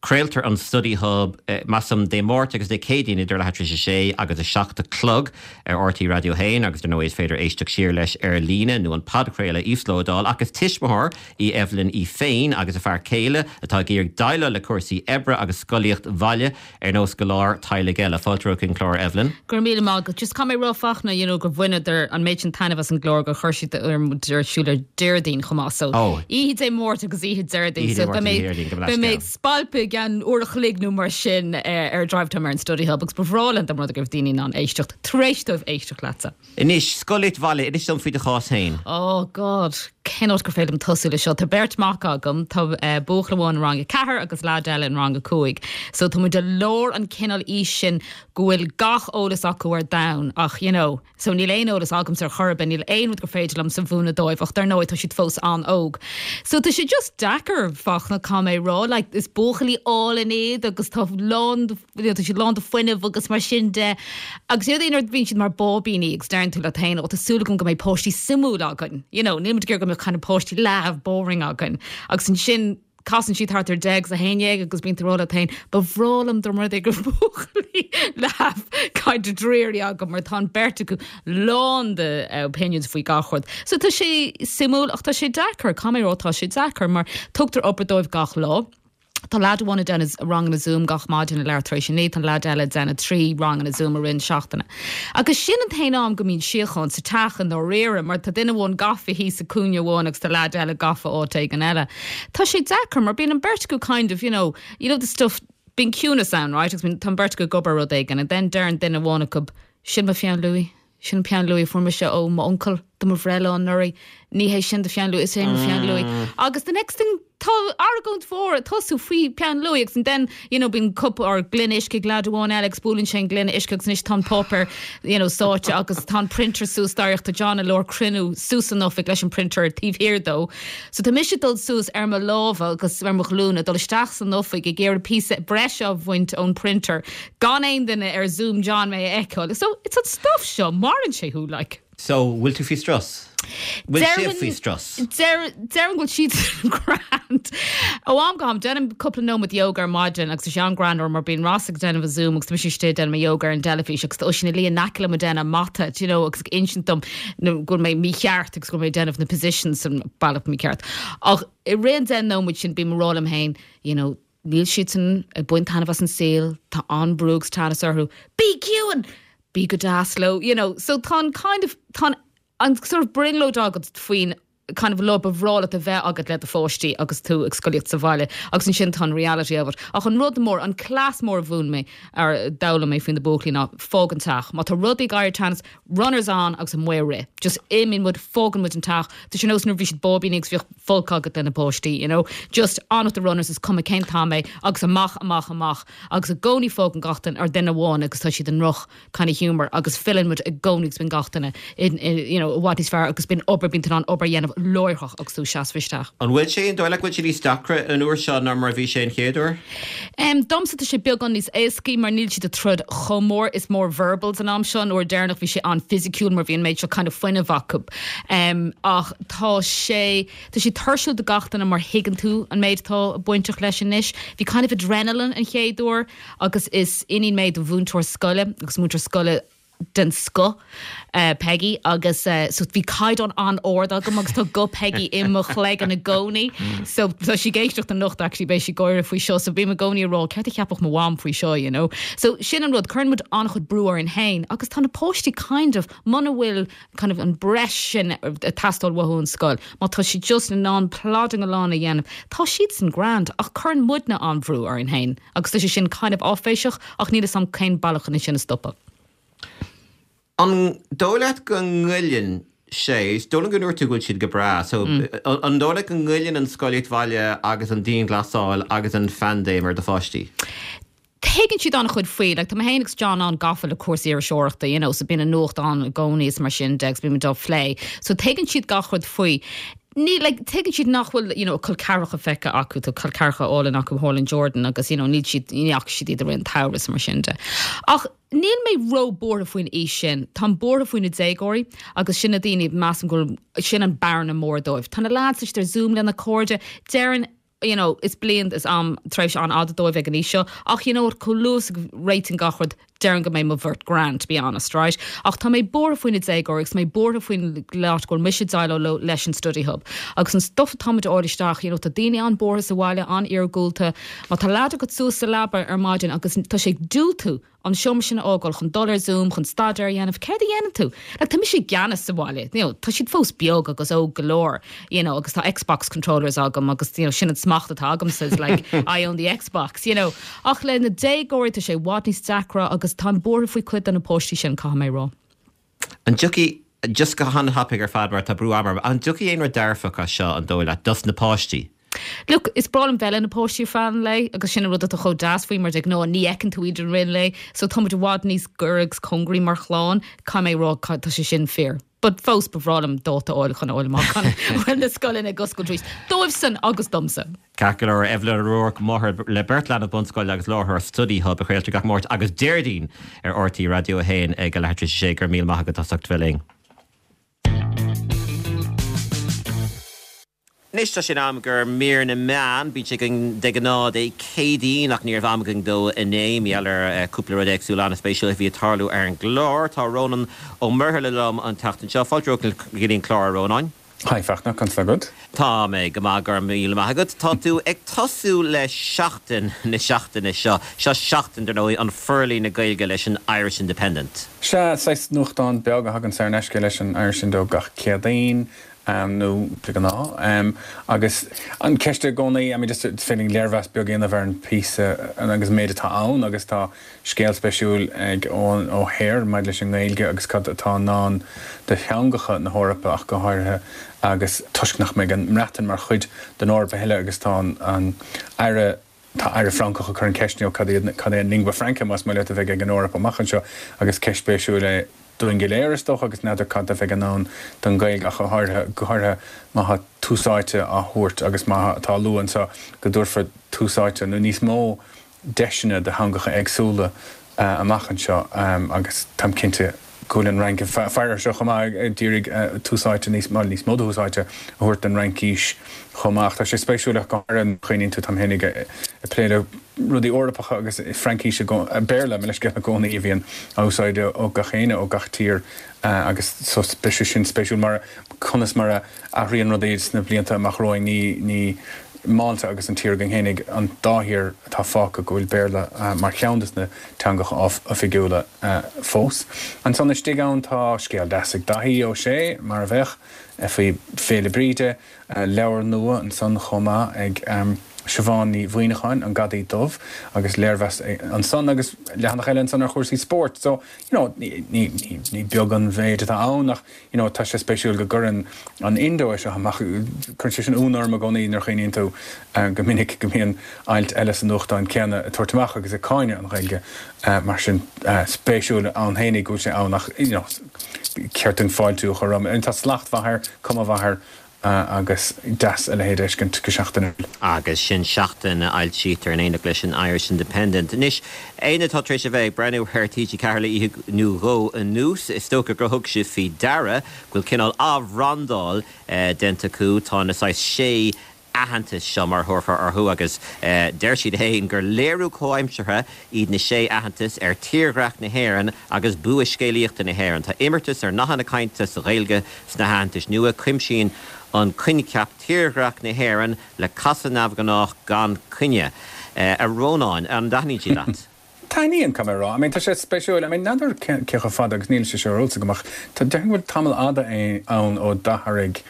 Craoltar an Study Hub, measaim, Dé Máirt agus Dé Céadaoin idir leathuair tar éis a sé agus a seacht a chlog ar RTÉ Raidió a haon agus dar ndóigh is féidir éisteacht siar leis ar líne nó an podchraoladh a íoslódáil. Ach is tuismitheoir í Evelyn í féin agus a fear céile atá ag iarraidh déileáil le cúrsaí oibre agus scolaíocht bhaile ar nós go leor teaghlaigh eile. Fáilte chuig an chlár, Evelyn. Go raibh míle maith agat. Just caithfidh mé a rá Fachtna, you know, gur bhaineadar an méid sin taitneamh as an gclár gur chuir siad ar siúl ar Déardaoin chomh maith. So, oíche Dé Máirt agus oíche Déardaoin. So, beidh mé beidh mé ag spalpadh i gceann uair a chloig nó mar sin ar Drivetime ar an Study Hub agus ba bhreá linn dá mba rud é go raibh daoine in ann éisteacht tar éis dóibh éisteacht leatsa. Anois, scolaíocht bhaile, inis dom faoi do chás féin. Oh God, Cén áit gur féidir liom tosú le seo Tá beirt mac agam tá uh, buachaill amháin rang a ceathair agus leaid eile in rang a cúig. So tá muid i lár an cineál aois sin go bhfuil gach eolas acu ar domhan ach you know, so níl aon eolas agamsa ar chor ar bith níl aon rud gur féidir liom a mhúineadh dóibh ach dar ndóigh tá siad fós an-óg. So tá sé just deacair Fachtna caithfidh mé rá, like, is buachaillí álainn iad agus tá lán tá siad lán de fuinneamh agus mar sin de agus iad aon bhíonn siad mar báibíní agus deireann tú leat féin ó tá súil agam go mbeidh páistí suimiúil againn. You know, níl muid go mbeadh kind of páistí leamh boring againn. Agus ansin casann siad thart ar deich agus a haon déag agus bíonn tú leat féin, ba bhreá liom dá mba rud é go buachaillí leamh kind of dreary agam mar tá an beirt acu lán de uh, opinions faoi gach rud. So tá sé suimiúil ach tá sé deacair, caithfidh mé rá tá sé deacair mar tugtar obair dóibh gach lá. Tá leaid amháin ag déanamh ranganna Zoom gach maidin leathuair tar éis a naoi tá leaid eile ag déanamh trí ranganna Zoom i rith na seachtaine. Agus sin an t-aon am go mbíonn síocháin sa teach i ndáiríre, mar tá duine amháin gafa thíos sa cúinne amháin agus tá leaid eile gafa áit éigin eile. Tá sé deacair mar bíonn an beirt acu kind of, you know, you know the stuff bíonn ciúnas ann, right? Agus tá an beirt acu ag obair rud éigin, and then deireann duine amháin acu sin mo pheann luaidhe. Sin peann luaidhe fuair mise ó m'uncail do mo bhreithlá anuraidh ní hé sin do pheann luaidhe is é mo pheann luaidhe. Agus the next thing tá argóint mhór ag tosú faoi peann luaidhe agus then you know bíonn cup or gloine uisce ag leaid amháin eile agus buaileann sé an gloine uisce agus anois tá an páipéar you know sáite agus tá an printer suas dáiríre tá John i lár cruinniú suas san oifig leis an printer taobh thiar dó. So tá mise dul suas ar mo lámha agus ar mo ghlúine dul isteach san oifig ag iarraidh píosa breise a bhaint ón printer gan aon duine ar Zoom John mé a fheiceáil. So it's an stuff seo maraíonn sé thú like. So bhfuil tú faoi strus? Bhfuil sibh faoi strus? Déarfainn go bhfuil siad grand. Ó am go ham déanaim cúpla nóiméad yoga ar maidin agus sé an grand mar bíonn Ross ag déanamh a Zoom agus tá mise ag déanamh yoga ar an teilifís agus tá sin lí naice le déanamh mata you know, agus insint dom go mé mícheart agus go mé déanamh na positions an bealach mícheart. Ach i rith an deich nóiméad sin bím ag rá liom féin, you know, níl siad san ag baint taitneamh as an saol, tá an-bhrú agus teannas orthu. Bí ciúin! Bí go deas leo, you know, so tá an kind of tá an sort of brionglóid agat faoin kind of lá ba bhreá leat a bheith agat le do pháistí agus tú ag scolaíocht sa bhaile agus ansin tá an reality of it. Ach an rud mór an cleas mór a mhúin mé ar d'fhoghlaim mé faoin na buachaillí ná fág an teach. Má tá rudaí ag éirí teann runners on agus amuigh rith. Just imíonn muid fágann muid an teach. Tá sé nós nuair bhí siad báibíní agus bhíodh folcadh agat lena páistí, you know? Just on with the runners is cuma cén t-am é agus amach amach amach agus i gcónaí fágann gach duine ar duine amháin agus tá siad in droch kind of humor agus filleann muid i gcónaí agus bíonn gach duine in, in, you know, i bhfad níos fearr agus bíonn obair bíonn tú in ann obair a dhéanamh láithreach agus tú seasamh isteach. An bhfuil sé an dóigh leat go bhfuil sé níos deacra an uair seo ná mar a bhí sé an chéad uair? Um, domsa tá sé beagán níos éascaí mar níl siad ag troid chomh mór is mór verbals an am seo an uair deireanach bhí sé an-fhisiciúil mar bhí an méid seo kind of fuinneamh acu. Um, ach tá sé tá sé tuirsiúil do gach duine mar thuigeann tú an méid atá bainteach leis anois. Bhí kind of adrenaline an chéad uair agus is iníon mé do mhúinteoir scoile agus múinteoir scoile den scoth uh, Peggy agus uh, so bhí caighdeán an-ard agam agus tá go Peggy i mo chloigeann i gcónaí so tá sí ag éisteacht anocht actually beidh sí ag gáire faoi seo so bím i gcónaí ag rá céard a cheapfadh mo mham faoi seo you know so sin an rud cuireann muid an-chuid brú orainn féin agus tá na páistí kind of muna bhfuil kind of an breis sin ag teastáil uathu ón scoil má tá siad just in ann plodding along a dhéanamh tá siad san grand ach cuireann muidne an-bhrú orainn féin agus tá sé sin kind of áiféiseach ach níl a fhios agam cén bealach chun sin a stopadh. An dóigh leat go ngoilleann sé dóla go ndúirt tú go bhfuil siad go breá, so an dóigh leat go ngoilleann an scolaíocht bhaile agus an dianghlasáil agus an phaindéim ar do pháistí? Tuigeann siad an-chuid faoi, like, tá mé féin agus John an-gafa le cúrsaí iriseoireachta, you know, so bíonn an nuacht ann i gcónaí is mar sin de agus bíonn muid á phlé. So tuigeann siad gach rud faoi. Ní like, tuigeann siad nach bhfuil you know, col ceathracha feicthe acu tá col ceathracha álainn acu thall in Jordan agus you know, níl siad ní fhaca siad iad i rith an tsamhraidh mar sin de. Ach níl mé ró-bhuartha faoin aois sin, Tá buartha faoi na déagóirí agus sin na daoine measaim go sin an bearna mór dóibh. Tá na lads ar Zoom lena cairde, déarfainn you know, is bliain is am tréimhse an-fhada dóibh ag an aois seo, ach you know, chomh luath is a réitíonn gach rud déarfainn go mbeidh mo bheirt grand to be honest, right? Ach tá mé buartha faoi na déagóirí agus mé buartha faoin leat go bhfuil mise déileáil leis an study hub. Agus an stuff atá muid fháil isteach, you know, tá daoine an-bhuartha sa bhaile an-iargúlta, Má tá leaid agat suas sa leaba ar maidin agus tá sé ag diúltú an seomra sin a fhágáil chun dul ar Zoom chun staidéar a dhéanamh, céard a dhéanann tú? Like, tá mise i gceannas sa bhaile, you know, tá siad fós beag agus óg go leor, you know, agus tá Xbox controllers agam agus you know, sin an smacht atá agam says like I own the Xbox, you know. Ach le na déagóirí tá sé i bhfad níos deacra agus tá buartha faoi cuid de na páistí sin caithfidh mé rá. An dtiocfaidh Just go han-thapaidh ar fad mar tá brú ama, an dtiocfaidh aon rud dearfach as seo an dóigh leat dos na páistí? Look, is breá liom bheith le na páistí ar feadh an lae agus sin an rud atá chomh deas faoi mar de ghnáth ní fheiceann tú iad i rith an lae, so tá muid i bhfad níos gaire agus cóngaraí mar chlann, caithfidh mé a rá tá sé sin fíor. But fós ba bhreá liom dáta a fháil chun a fháil amach an bhfuil na scoileanna ag oscailt arís. Dóibhsean agus domsa. Ceart go leor, Evelyn O'Rourke, máthair le beirt leanbh bunscoile agus láithreoir Study Hub a chraoltar gach Máirt agus Déardaoin ar RTÉ Raidió a haon ag a leathuair tar éis a sé. Go raibh míle maith agat as ucht bheith linn. Anois tá sé in am do mhír na meán. Bíonn sé againn de ghnáth Dé Céadaoin ach ní raibh am againn dó inné mar gheall ar cúpla rud éagsúil an-spéisiúil a bhí ag tarlú ar an gclár. Tá Rónán Ó Muirthile liom an tseachtain seo. Fáilte romhat go dtí an clár, a Rónáin. Hi Fachtna, conas tá agat? Tá mé go maith, go raibh míle maith agat. Tá tú ag tosú le Seachtain na seachtaine seo. Seo seachtain, dar ndóigh, an forlíonadh Gaeilge leis an Irish Independent. Sea, saghas nuachtán beag a thagann saor in aisce leis an Irish Indo gach Céadaoin, nó de ghnáth. Agus an ceist i gcónaí, I mean just is féidir linn léirmheas beag a dhéanamh ar an phíosa agus an méid atá ann agus tá scéal spéisiúil ag Eoin O'Hare maidir leis an nGaeilge agus cad atá i ndán do theangacha na hEorpa ach go háirithe agus toisc nach mbeidh an mBreatain mar chuid den Eoraip a thuilleadh agus tá an Aire tá Aire Francach ag cur an ceist you know cad iad cad é an lingua franca más maith leat a bheidh ag an Eoraip amach anseo agus ceist spéisiúil é dúinn go léir is dócha agus n'fheadar cad a bheidh i ndán don Ghaeilge ach go háirithe go háirithe má tá tús áite á thabhairt agus má tá á lua anseo go dtabharfar tús áite nó níos mó deiseanna do theangacha éagsúla amach anseo agus táim cinnte go bhfuil an Fhrainc ag faire air seo chomh maith ag iarraidh tús áite níos mó níos mó de thús áite a thabhairt don Fhraincis chomh maith. Ach tá sé spéisiúil ach go háirithe nuair a chuimhníonn tú táim féinig ag plé le rudaí Eorpacha agus Fraincis Béarla, mo leithscéal i gcónaí a bhíonn á úsáid ó gach éinne ó gach tír agus so beidh sé sin spéisiúil mar conas mar a athraíonn rudaí sna blianta amach romhainn ní ní Málta agus an tír againn fhéinig an dá thír atá fágtha go bhfuil Béarla mar cheann de na teangacha oifigiúla fós. Ansan istigh ann tá scéal deas ag Daithí Ó Sé, mar a bheadh, faoi Féile Bríde, leabhar nua ansan chomh maith ag Siobhán Ní Mhuimhneacháin, An Gadaí Dubh, agus léirmheas ansan agus leathanach eile ansan ar chúrsaí spóirt. So, you know, ní, ní, ní beag an mhéid atá ann ach, you know, tá sé spéisiúil go gcuireann an Indo é seo amach, cuireann sé sin ionadh orm i gcónaí nuair a chuimhníonn tú go minic go mbíonn ailt eile sa nuachtán céanna ag tabhairt amach agus ag cáineadh an Ghaeilge mar sin, spéisiúil ann fhéinig go bhfuil sé ann ach, you know, ceart dúinn fáiltiú a chur roimhe. Tá slacht mhaith air, cuma mhaith air. agus deas a leithéid a fheiscint go seachtainiúil. Agus sin seachtain a fhoilsítear in éineacht leis an Irish Independent. Anois, éinne atá tar éis a bheith ag breathnú ar T G ceathair le oíche nó dhó anuas, is dócha gur thug sibh faoi deara go bhfuil cineál athbhrandáil déanta acu. Tá na saghas sé aitheantas seo, mar a thabharfá orthu, agus deir siad féin gur léiriú comhaimseartha iad na sé aitheantas ar tírdhreach na hÉireann agus bua scéalaíochta na hÉireann. Tá imeartas ar nathanna cainte sa Ghaeilge sna haitheantais nua. Cuimsíonn an coincheap tírdhreach na hÉireann le casadh neamhghnách gan coinne. A Rónáin, an dtaitníonn siad leat? Taitníonn, caithfidh mé a rá. I mean, tá sé spéisiúil. I mean, n'fheadar cé chomh fada agus níl sé seo ar eolas agam ach tá, déarfainn go bhfuil tamall fhada ann ó d'athraigh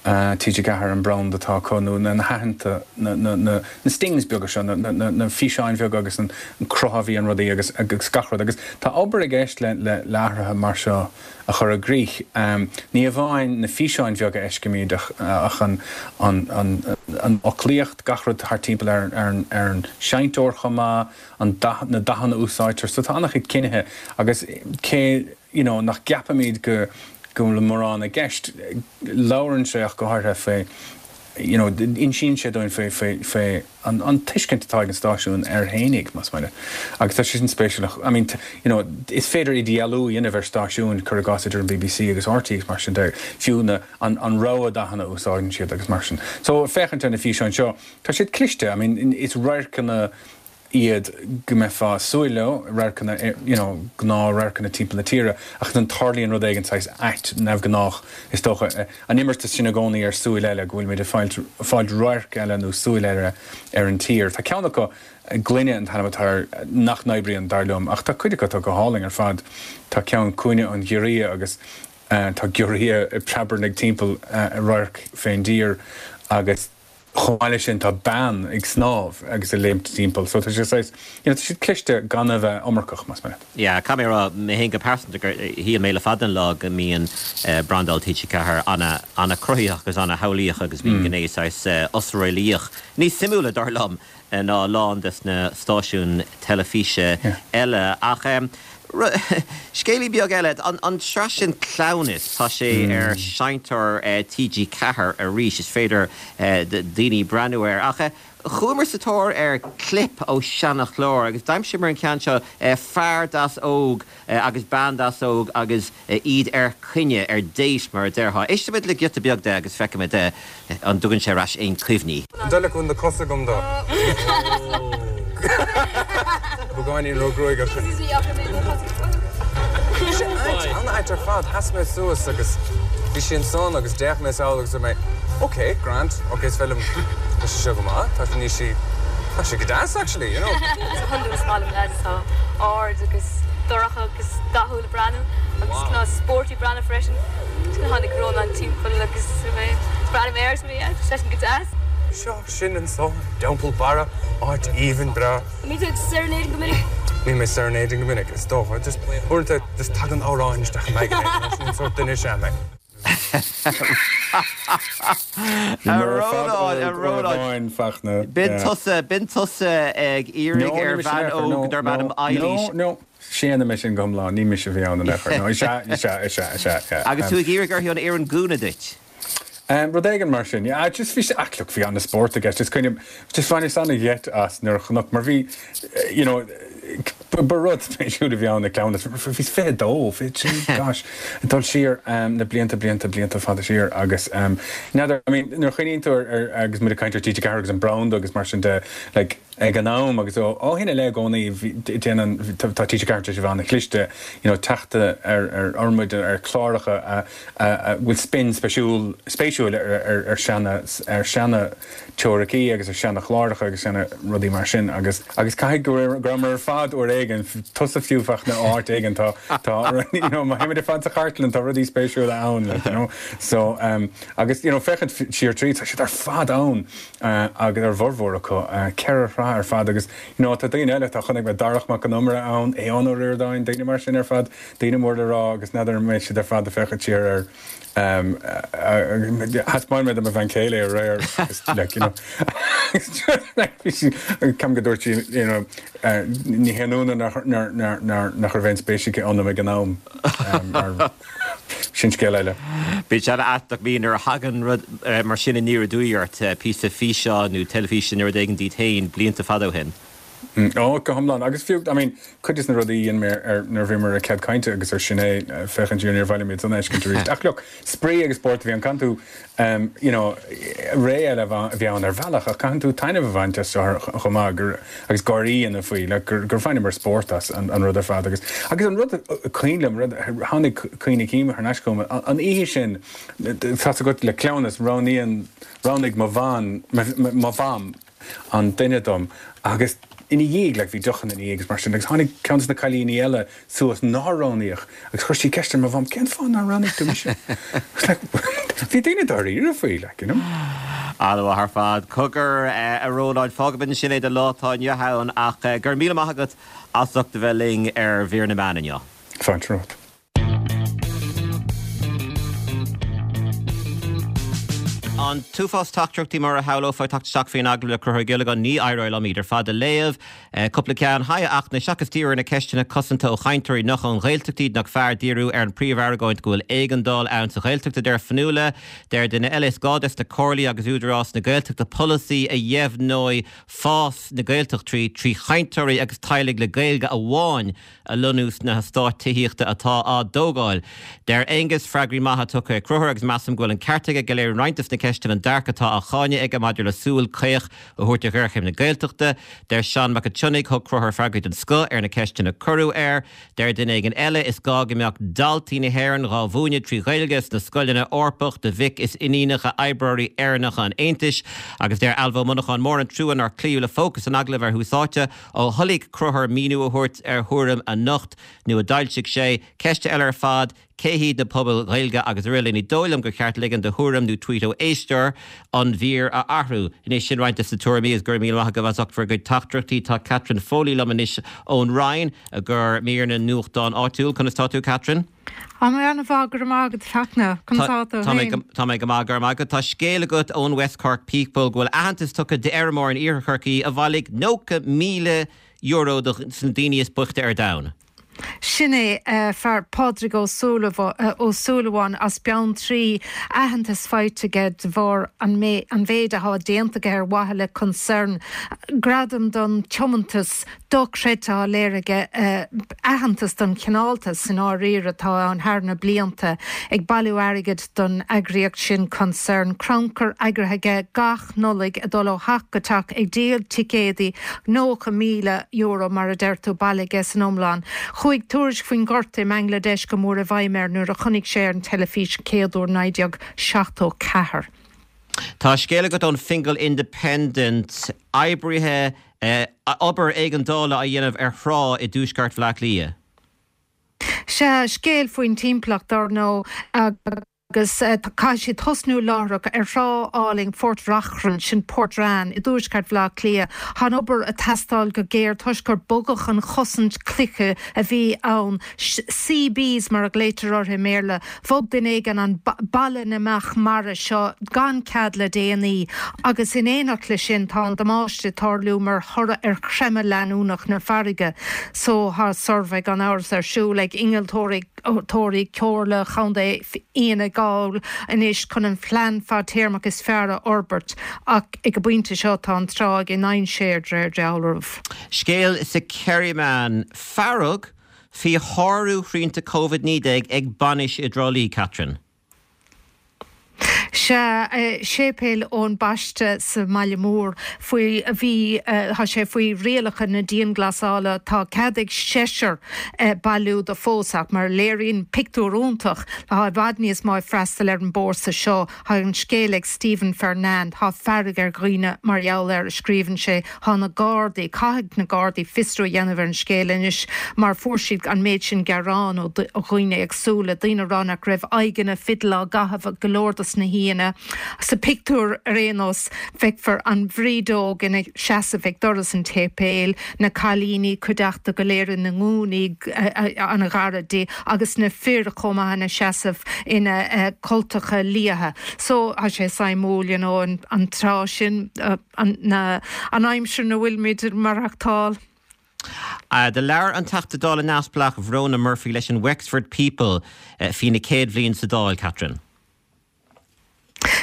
T G ceathair an brand atá acu nó na haitheanta, na, na, na, na stings beaga seo, na, na, na, na físeáin bheaga agus an cruth a bhí ar rudaí agus, agus gach rud. Agus tá obair i gceist le, le, le athruithe mar seo a chur i gcrích. Ní amháin na físeáin bheaga a fheicimid ach, ach an, an, an, an fhoclaíocht, gach rud thart timpeall ar, ar an, ar an seinnteoir chomh maith, an dath, na dathanna a úsáidtear. So tá an-chuid cinnithe agus cé, you know, nach gceapaimid go, go bhfuil mórán i gceist. Labhrann sé ach go háirithe faoi, you know, insíonn sé dúinn faoi, faoi, faoi an, an tuiscint atá ag an stáisiún air fhéinig, más maith leat. Agus tá sé sin spéisiúil. I mean, you know, is féidir idirdhealú a dhéanamh ar stáisiúin, cuir i gcás idir an B B C agus R T É agus mar sin de, fiú na, an, an rogha dathanna a úsáideann siad agus mar sin. So, féachaint ar na físeáin seo, tá siad cliste, I mean, is radharcanna iad go mbeifeá ag súil leo, radharcanna, you know, gnáthradharcanna timpeall na tíre, ach ansan tarlaíonn rud éigin saghas ait, neamhghnách, is dócha, an imeartas sin i gcónaí ar súil eile, go bhfuilimid ag fáilt, fáilt radharc eile nó súil eile ar an tír. Tá ceann acu, Gloine an t-ainm atá air, nach n-oibríonn, dar liom, ach tá cuid acu atá go hálainn ar fad. Tá ceann Cúinne an Ghiorria agus tá giorria ag preabarnaigh timpeall radharc fén dtír agus. Chomh maith leis sin tá bean ag snámh agus ag léimt timpeall so tá sé saghas, you know, tá siad cliste gan a bheith iomarcach, más maith leat. Yeah, caithfidh mé a rá, mé féin go pearsanta gur shíl mé le fada an lá go mbíonn brandáil T G ceathair ana, ana cruthaitheach agus ana shamhlaíoch agus bíonn gné saghas osréalaíoch níos suimiúla dar liom ná a lán des na stáisiúin teilifíse eile. Ach scéilín beag eile, an tsraith sin Cleamhnas, tá sé ar seinnteoir T G ceathair arís, is féidir daoine breathnú air. Ach chuamar sa tóir ar clip ó seanachlár agus d'aimsíomar an ceann seo, fear deas óg agus bean deas óg agus iad ar coinne, ar date mar a déarfá. Éistfimid le giota beag de agus feicfimid an dtugann sé ar ais aon chuimhní. An dóigh leat go bhfuil na cosa agam dó? Beagáinín ró-ghruagach. Bhí sé ait, an-ait ar fad. Sheas mé suas agus bhí sí ansan agus d'fhéach mé sall agus dúirt mé, ok, grand, ok, is féidir liom, tá sé seo go maith, tá níl sí, tá sé go deas actually, you know. Is hiondúil is maith liom leaids atá ard agus dorcha agus dathúil ag breathnú agus cineál sporty breathnú freisin. Tháinig Rónán timpeall agus mé breathnaigh mé air agus mé yeah, tá seisean go deas. Seo sinn anso i dTeampall Barra, áit aoibhinn breá. An mbíonn tú ag serenading go minic? Bíonn mé serenading go minic, is dócha. Just uaireanta just tagann amhráin isteach i m'aigne, sin an sórt duine is ea mé. A Rónáin, a Rónáin, Fachtna. B'in tusa, b'in tusa ag iarraidh ar bhean óg darb ainm Eilís. No, no, séanaim é sin go hiomlán, ní mise a bhí ann in aon chor. No, is ea, is ea, is ea, is ea, yeah. Agus tú ag iarraidh uirthi an fhoireann gúna duit. Um, rud éigin mar sin. Yeah, just bhí sé, ach look, bhí an-spórt i gceist. Just kind of, just bhaineas an-gheit as nuair a chonac, mar bhí, you know, ba rud spéisiúil a bhí ann, na cleamhnas. Bhí fiche dó, fiche trí, gosh, ag dul siar um, na blianta, blianta, blianta fada siar agus um, n'fheadar, I mean, nuair a chuimhníonn tú ar, ar, agus muid ag caint ar T G ceathair agus an branda agus mar sin de, like, ag an am agus ó ó shin i leith i gcónaí bhí, déanann, tá, tá T G ceathair tar éis a bheith an-chliste, you know, teacht ar, ar ormuid ar chláracha a, a, a bhfuil spin speisiúil, spéisiúil ar, ar, ar seana, ar seana teoiricí agus ar seana chláracha agus seana rudaí mar sin agus, agus caithfidh go raibh, go rabhamar ar fad uair éigin, tusa fiú Fachtna áit éigin tá, tá, you know, má théimid ar fad sa chartlann tá rudaí spéisiúla ann, like, you know, so, um, agus, you know, féachaint siar tríd, tá siad ar fad ann, uh, agus ar bhformhór acu, uh, ceithre shraith ar fad agus, you know, tá daoine eile, tá chonaic mé Darach Mac Con Iomaire ann, Aodhán Ó Ríordáin, daoine mar sin ar fad, daoine mór le rá agus n'fheadar an mbeidh siad ar fad ag féachaint siar ar, um, uh, thaispeáin mé do mo bhean chéile aréir agus, like, you know, bhí sí, ceapaim go dúirt sí, you know, uh, ní haon ionadh nach, nach, nach, nach, nach raibh aon spéis aici ionam ag an am, um, mar sin scéal eile. Bíonn sé an-ait nach mbíonn nuair a thagann rud mar sin aniar aduaidh ort, píosa físeáin nó teilifíse nó rud éigin díot féin blianta fada ó shin. Ó, go hiomlán. Agus fiú, I mean, cuid de na rudaí a dhein mé ar, nuair a bhíomar ar Cead Cainte agus ar Sin É, féachaint siar, níor mhaith liom iad san a fheiscint arís. Ach look, spraoi agus spórt a bhí ann. Caitheann tú, um, you know, ré eile a bhí ann ar bhealach ach caitheann tú taitneamh a bhaint as seo chomh maith gur, agus gáirí a dhéanamh faoi, like, gur, gur bhaineamar spórt as an, an rud ar fad. Agus, agus an rud a cuimhin liom, rud, tháinig cuimhní cinn thar n-ais chugam, an, an oíche sin, tá's agat le cleamhnas, roghnaíonn, roghnaigh mo bhean, mo, mo, mo mham an duine dom agus ina dhiaidh, like, bhí deochanna ina dhiaidh agus mar sin, agus tháinig ceann de na cailíní eile suas nár roghnaíodh agus chuir sí ceist ar mo mham, cén fáth nár roghnaigh tú mise? I was like, bhí daoine dáiríre faoi, like, you know. An-mhaith ar fad. Cogar, a Rónáin, fágfaimid ansin é don lá atá inniu ann ach go raibh míle maith agat as ucht a bheith linn ar Mhír na Meán inniu. Fáilte romhat. An t-uafás teachtaireachtaí mar a shamhlófá ag teacht isteach faoin agallamh le Conchúr Ó Giollagáin, ní éireoidh liom iad ar fad a léamh. Cúpla ceann. Haigh a Fhachtna, seachas díriú ar na ceisteanna cosanta ó chainteoirí nach ón Ghaeltacht iad, nach fearr díriú ar an príomh-argóint go bhfuil éigeandáil ann sa Ghaeltacht, a deir Fionnuala. Deir duine eile, is gá des na comhairlí agus Údarás na Gaeltachta polasaí a dheimhneoidh fás na Gaeltachtaí trí chainteoirí agus teaghlaigh le Gaeilge amháin a lonnú sna heastáit tithíochta atá á dtógáil. Deir Aengus, Freagraí maithe tugtha ag Conchúr agus measaim go bhfuil an ceart aige go léiríonn roinnt des na ceisteanna an dearcadh atá á cháineadh aige maidir le súil caoch a thabhairt ar ghéarchéim na Gaeltachta. Deir Seán Mac an tSionnaigh, Thug Conchúr freagraí den scoth ar na ceisteanna a cuireadh air. Deir duine éigin eile, Is gá go mbeadh daltaí na hÉireann dhá mhúineadh trí Ghaeilge sna scoileanna Eorpach do mhic is iníonacha oibreoirí Éireannacha an Aontais. Agus deir Ailbhe Ó Monacháin, Mór an trua nár cloíodh le fócas an agallaimh ar Thús Áite ó thoiligh Conchúr míniú a thabhairt ar thuairim a nocht nó a d'fhoilsigh sé. Ceist eile ar fad, Cé hiad na pobail Ghaeilge agus araile. Ní dóigh liom gur cheart ligean do thuairim nó tweet ó éisteoir an mhír a athrú. Anois sin roinnt de na tuairimí is go raibh míle maith agaibh as ucht bhur gcuid teachtaireachtaí. Tá Catherine Foley liom anois ón Rinn i gcomhair mír na nuachtán áitiúil. Conas tá tú Catherine? Tá mé an-mhaith go raibh maith agat Fachtna. Conas tá tú Tá mé féin? tá mé go maith go raibh maith agat. Tá scéal agat ón West Cork People go bhfuil aitheantas tugtha d'fheirmeoir in iarthar Chorcaí a bhailigh nócha míle euro do na daoine is boichte ar domhan. Sin é uh, fear Pádraig Ó Ó Súilleabháin as Beanntraí aitheantas faighte aige de bharr an an mhéid atá déanta aige ar mhaithe le Concern. Gradam don tiomantas dochreidte léirithe uh, aitheantas don chineáltas san áirír atá an thar na blianta ag bailiú airgid don eagraíocht sin Concern crannchur eagraithe aige gach Nollaig ag dul ó theach go teach ag díol ticéidí nócha míle euro mar a deir tú bailithe san iomlán. Chuaigh tuairisc faoin ngorta i mBangladesh go mór i bhfeidhm air nuair a chonaic sé an teilifís chéad uair naoi déag seachtó ceathair. Tá scéal agat ón Fingal Independent oibrithe eh, obair éigeandála a dhéanamh ar thrá i dtuaisceart Bhaile Átha Cliath. Sea scéal faoin timpeallacht ar ndóigh agus uh, caithfidh siad tosnú láithreach ar thrá álainn Phort Reachrann sin Portrane i dtuaisceart Bhaile Átha Cliath. Tá an obair ag teastáil go géar toisc gur bogadh an chosaint cloiche a bhí ann CBs mar a ghlaotar orthu i mBéarla, Bhog duine éigin an balla na mbeach mara seo gan cead le déanaí, agus in éineacht leis sin tá an damáiste ag tarlú mar thoradh ar chreimeadh leanúnach na farraige, so tá suirbhé gan amhras ar siúl ag innealtóirí tóirí Comhairle Chontae Fhine Gall anois chun an plean fadtéarmach is fearr a fhorbairt ach ag an bpointe seo tá an trá i ndainséar de réir dealraimh. Scéal sa Kerryman fearg faoi shárú shrianta Covid naoi déag ag bainis i dTrá Lí, Catherine. Sea séipéal Eoin Baiste sa mbaile mór faoi bhí tá sé faoi rialacha na dianghlasála tá cead ag seisear bailiú do phósadh mar léiríonn pictiúr iontach tá i bhfad níos mó ag freastal ar an bpósadh seo tá an scéal ag Stephen Fernand tá fearg ar dhaoine mar gheall air a scríobhann sé tá na Gardaí caithfidh na Gardaí fiosrú a dhéanamh ar an scéal anois mar fuair siad an méid sin gearán ó dhaoine éagsúla daoine ag rá nach raibh aghaidheanna fidil á gcaitheamh go leor dos na haíonna. Sa pictiúr ar aon nós feicfear an bhrídeog ina seasamh ag doras an tséipéil, na cailíní cuideachta go léir ina ngúnaí an-ghar di agus na fir chomh maith ina seasamh ina cultacha liatha. So tá sé suimiúil you know, an, an tráth sin an, na, an aimsir ina bhfuilimid ag maireachtáil. Uh, do labhair an Teachta Dála neamhspleách Verona Murphy leis an Wexford People uh, faoina céad bhliain sa Dáil, Catherine.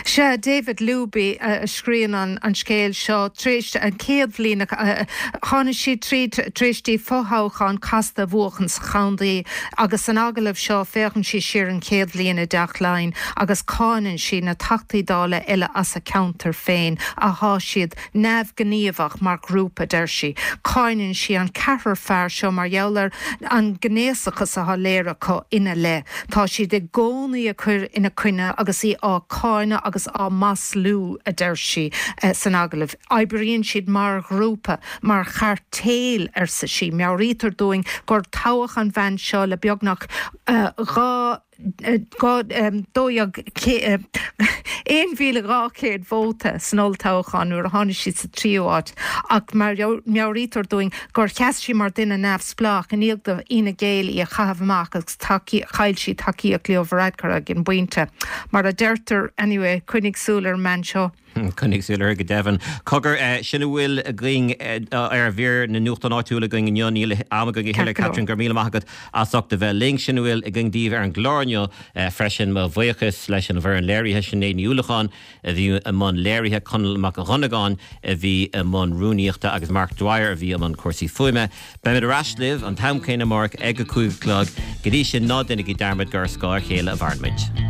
Sea David Luby uh, a scríobhann an, an scéal seo tar éis an chéad bhliain uh, tháinig sí tríd tar éis di fothoghchán casta a bhuachan sa chontae agus san agallamh seo féachann sí siar an chéad bhliain i dTeach Laighean agus cáineann sí na Teachtaí Dála eile as a ceantar féin atá siad neamhghníomhach mar ghrúpa deir sí. Cáineann sí an ceathrar fear seo mar gheall ar an ngnéasachas atá léirithe acu ina leith. Tá siad i gcónaí ag cur ina coinne agus í á cáineadh agus á maslú a deir sí eh, san agallamh. Oibríonn siad mar ghrúpa mar chairtéal arsa sí. Meabhraítear dúinn gur toghadh an bhean seo le beagnach uh, dhá dó aon mhíle dhá chéad vóta san olltoghchán nuair a tháinig sí sa tríú háit ach meabhraítear dúinn gur sheas sí mar duine neamhspleách i ndiaidh do Fhine Gael í a chaitheamh amach agus chaill sí tacaíocht Leo Varadkar ag an bpointe. Mar a deirtear anyway coinnigh súil ar an mbean seo. Coinnigh súil uirthi go deimhin. Cogar eh, sin a bhfuil againn eh, ar mhír na nuachtán áitiúil againn inniu níl am againn a thuilleadh Catherine go raibh míle maith agat as ucht a bheith linn sin a bhfuil againn daoibh ar an gclár inniu eh, freisin mo bhuíochas leis an bhfoireann léirithe Sinéad Ní Uallacháin a bhí i mbun léirithe Conall Mac Dhonnagáin a bhí i mbun rúnaíochta agus Mark Dwyer a bhí i mbun cúrsaí fuaime. Beimid ar ais libh an t-am céanna amárach ag a cúig a chlog go dtí sin ná déanaigí dearmad gur ar scáth a chéile a mhaireann muid.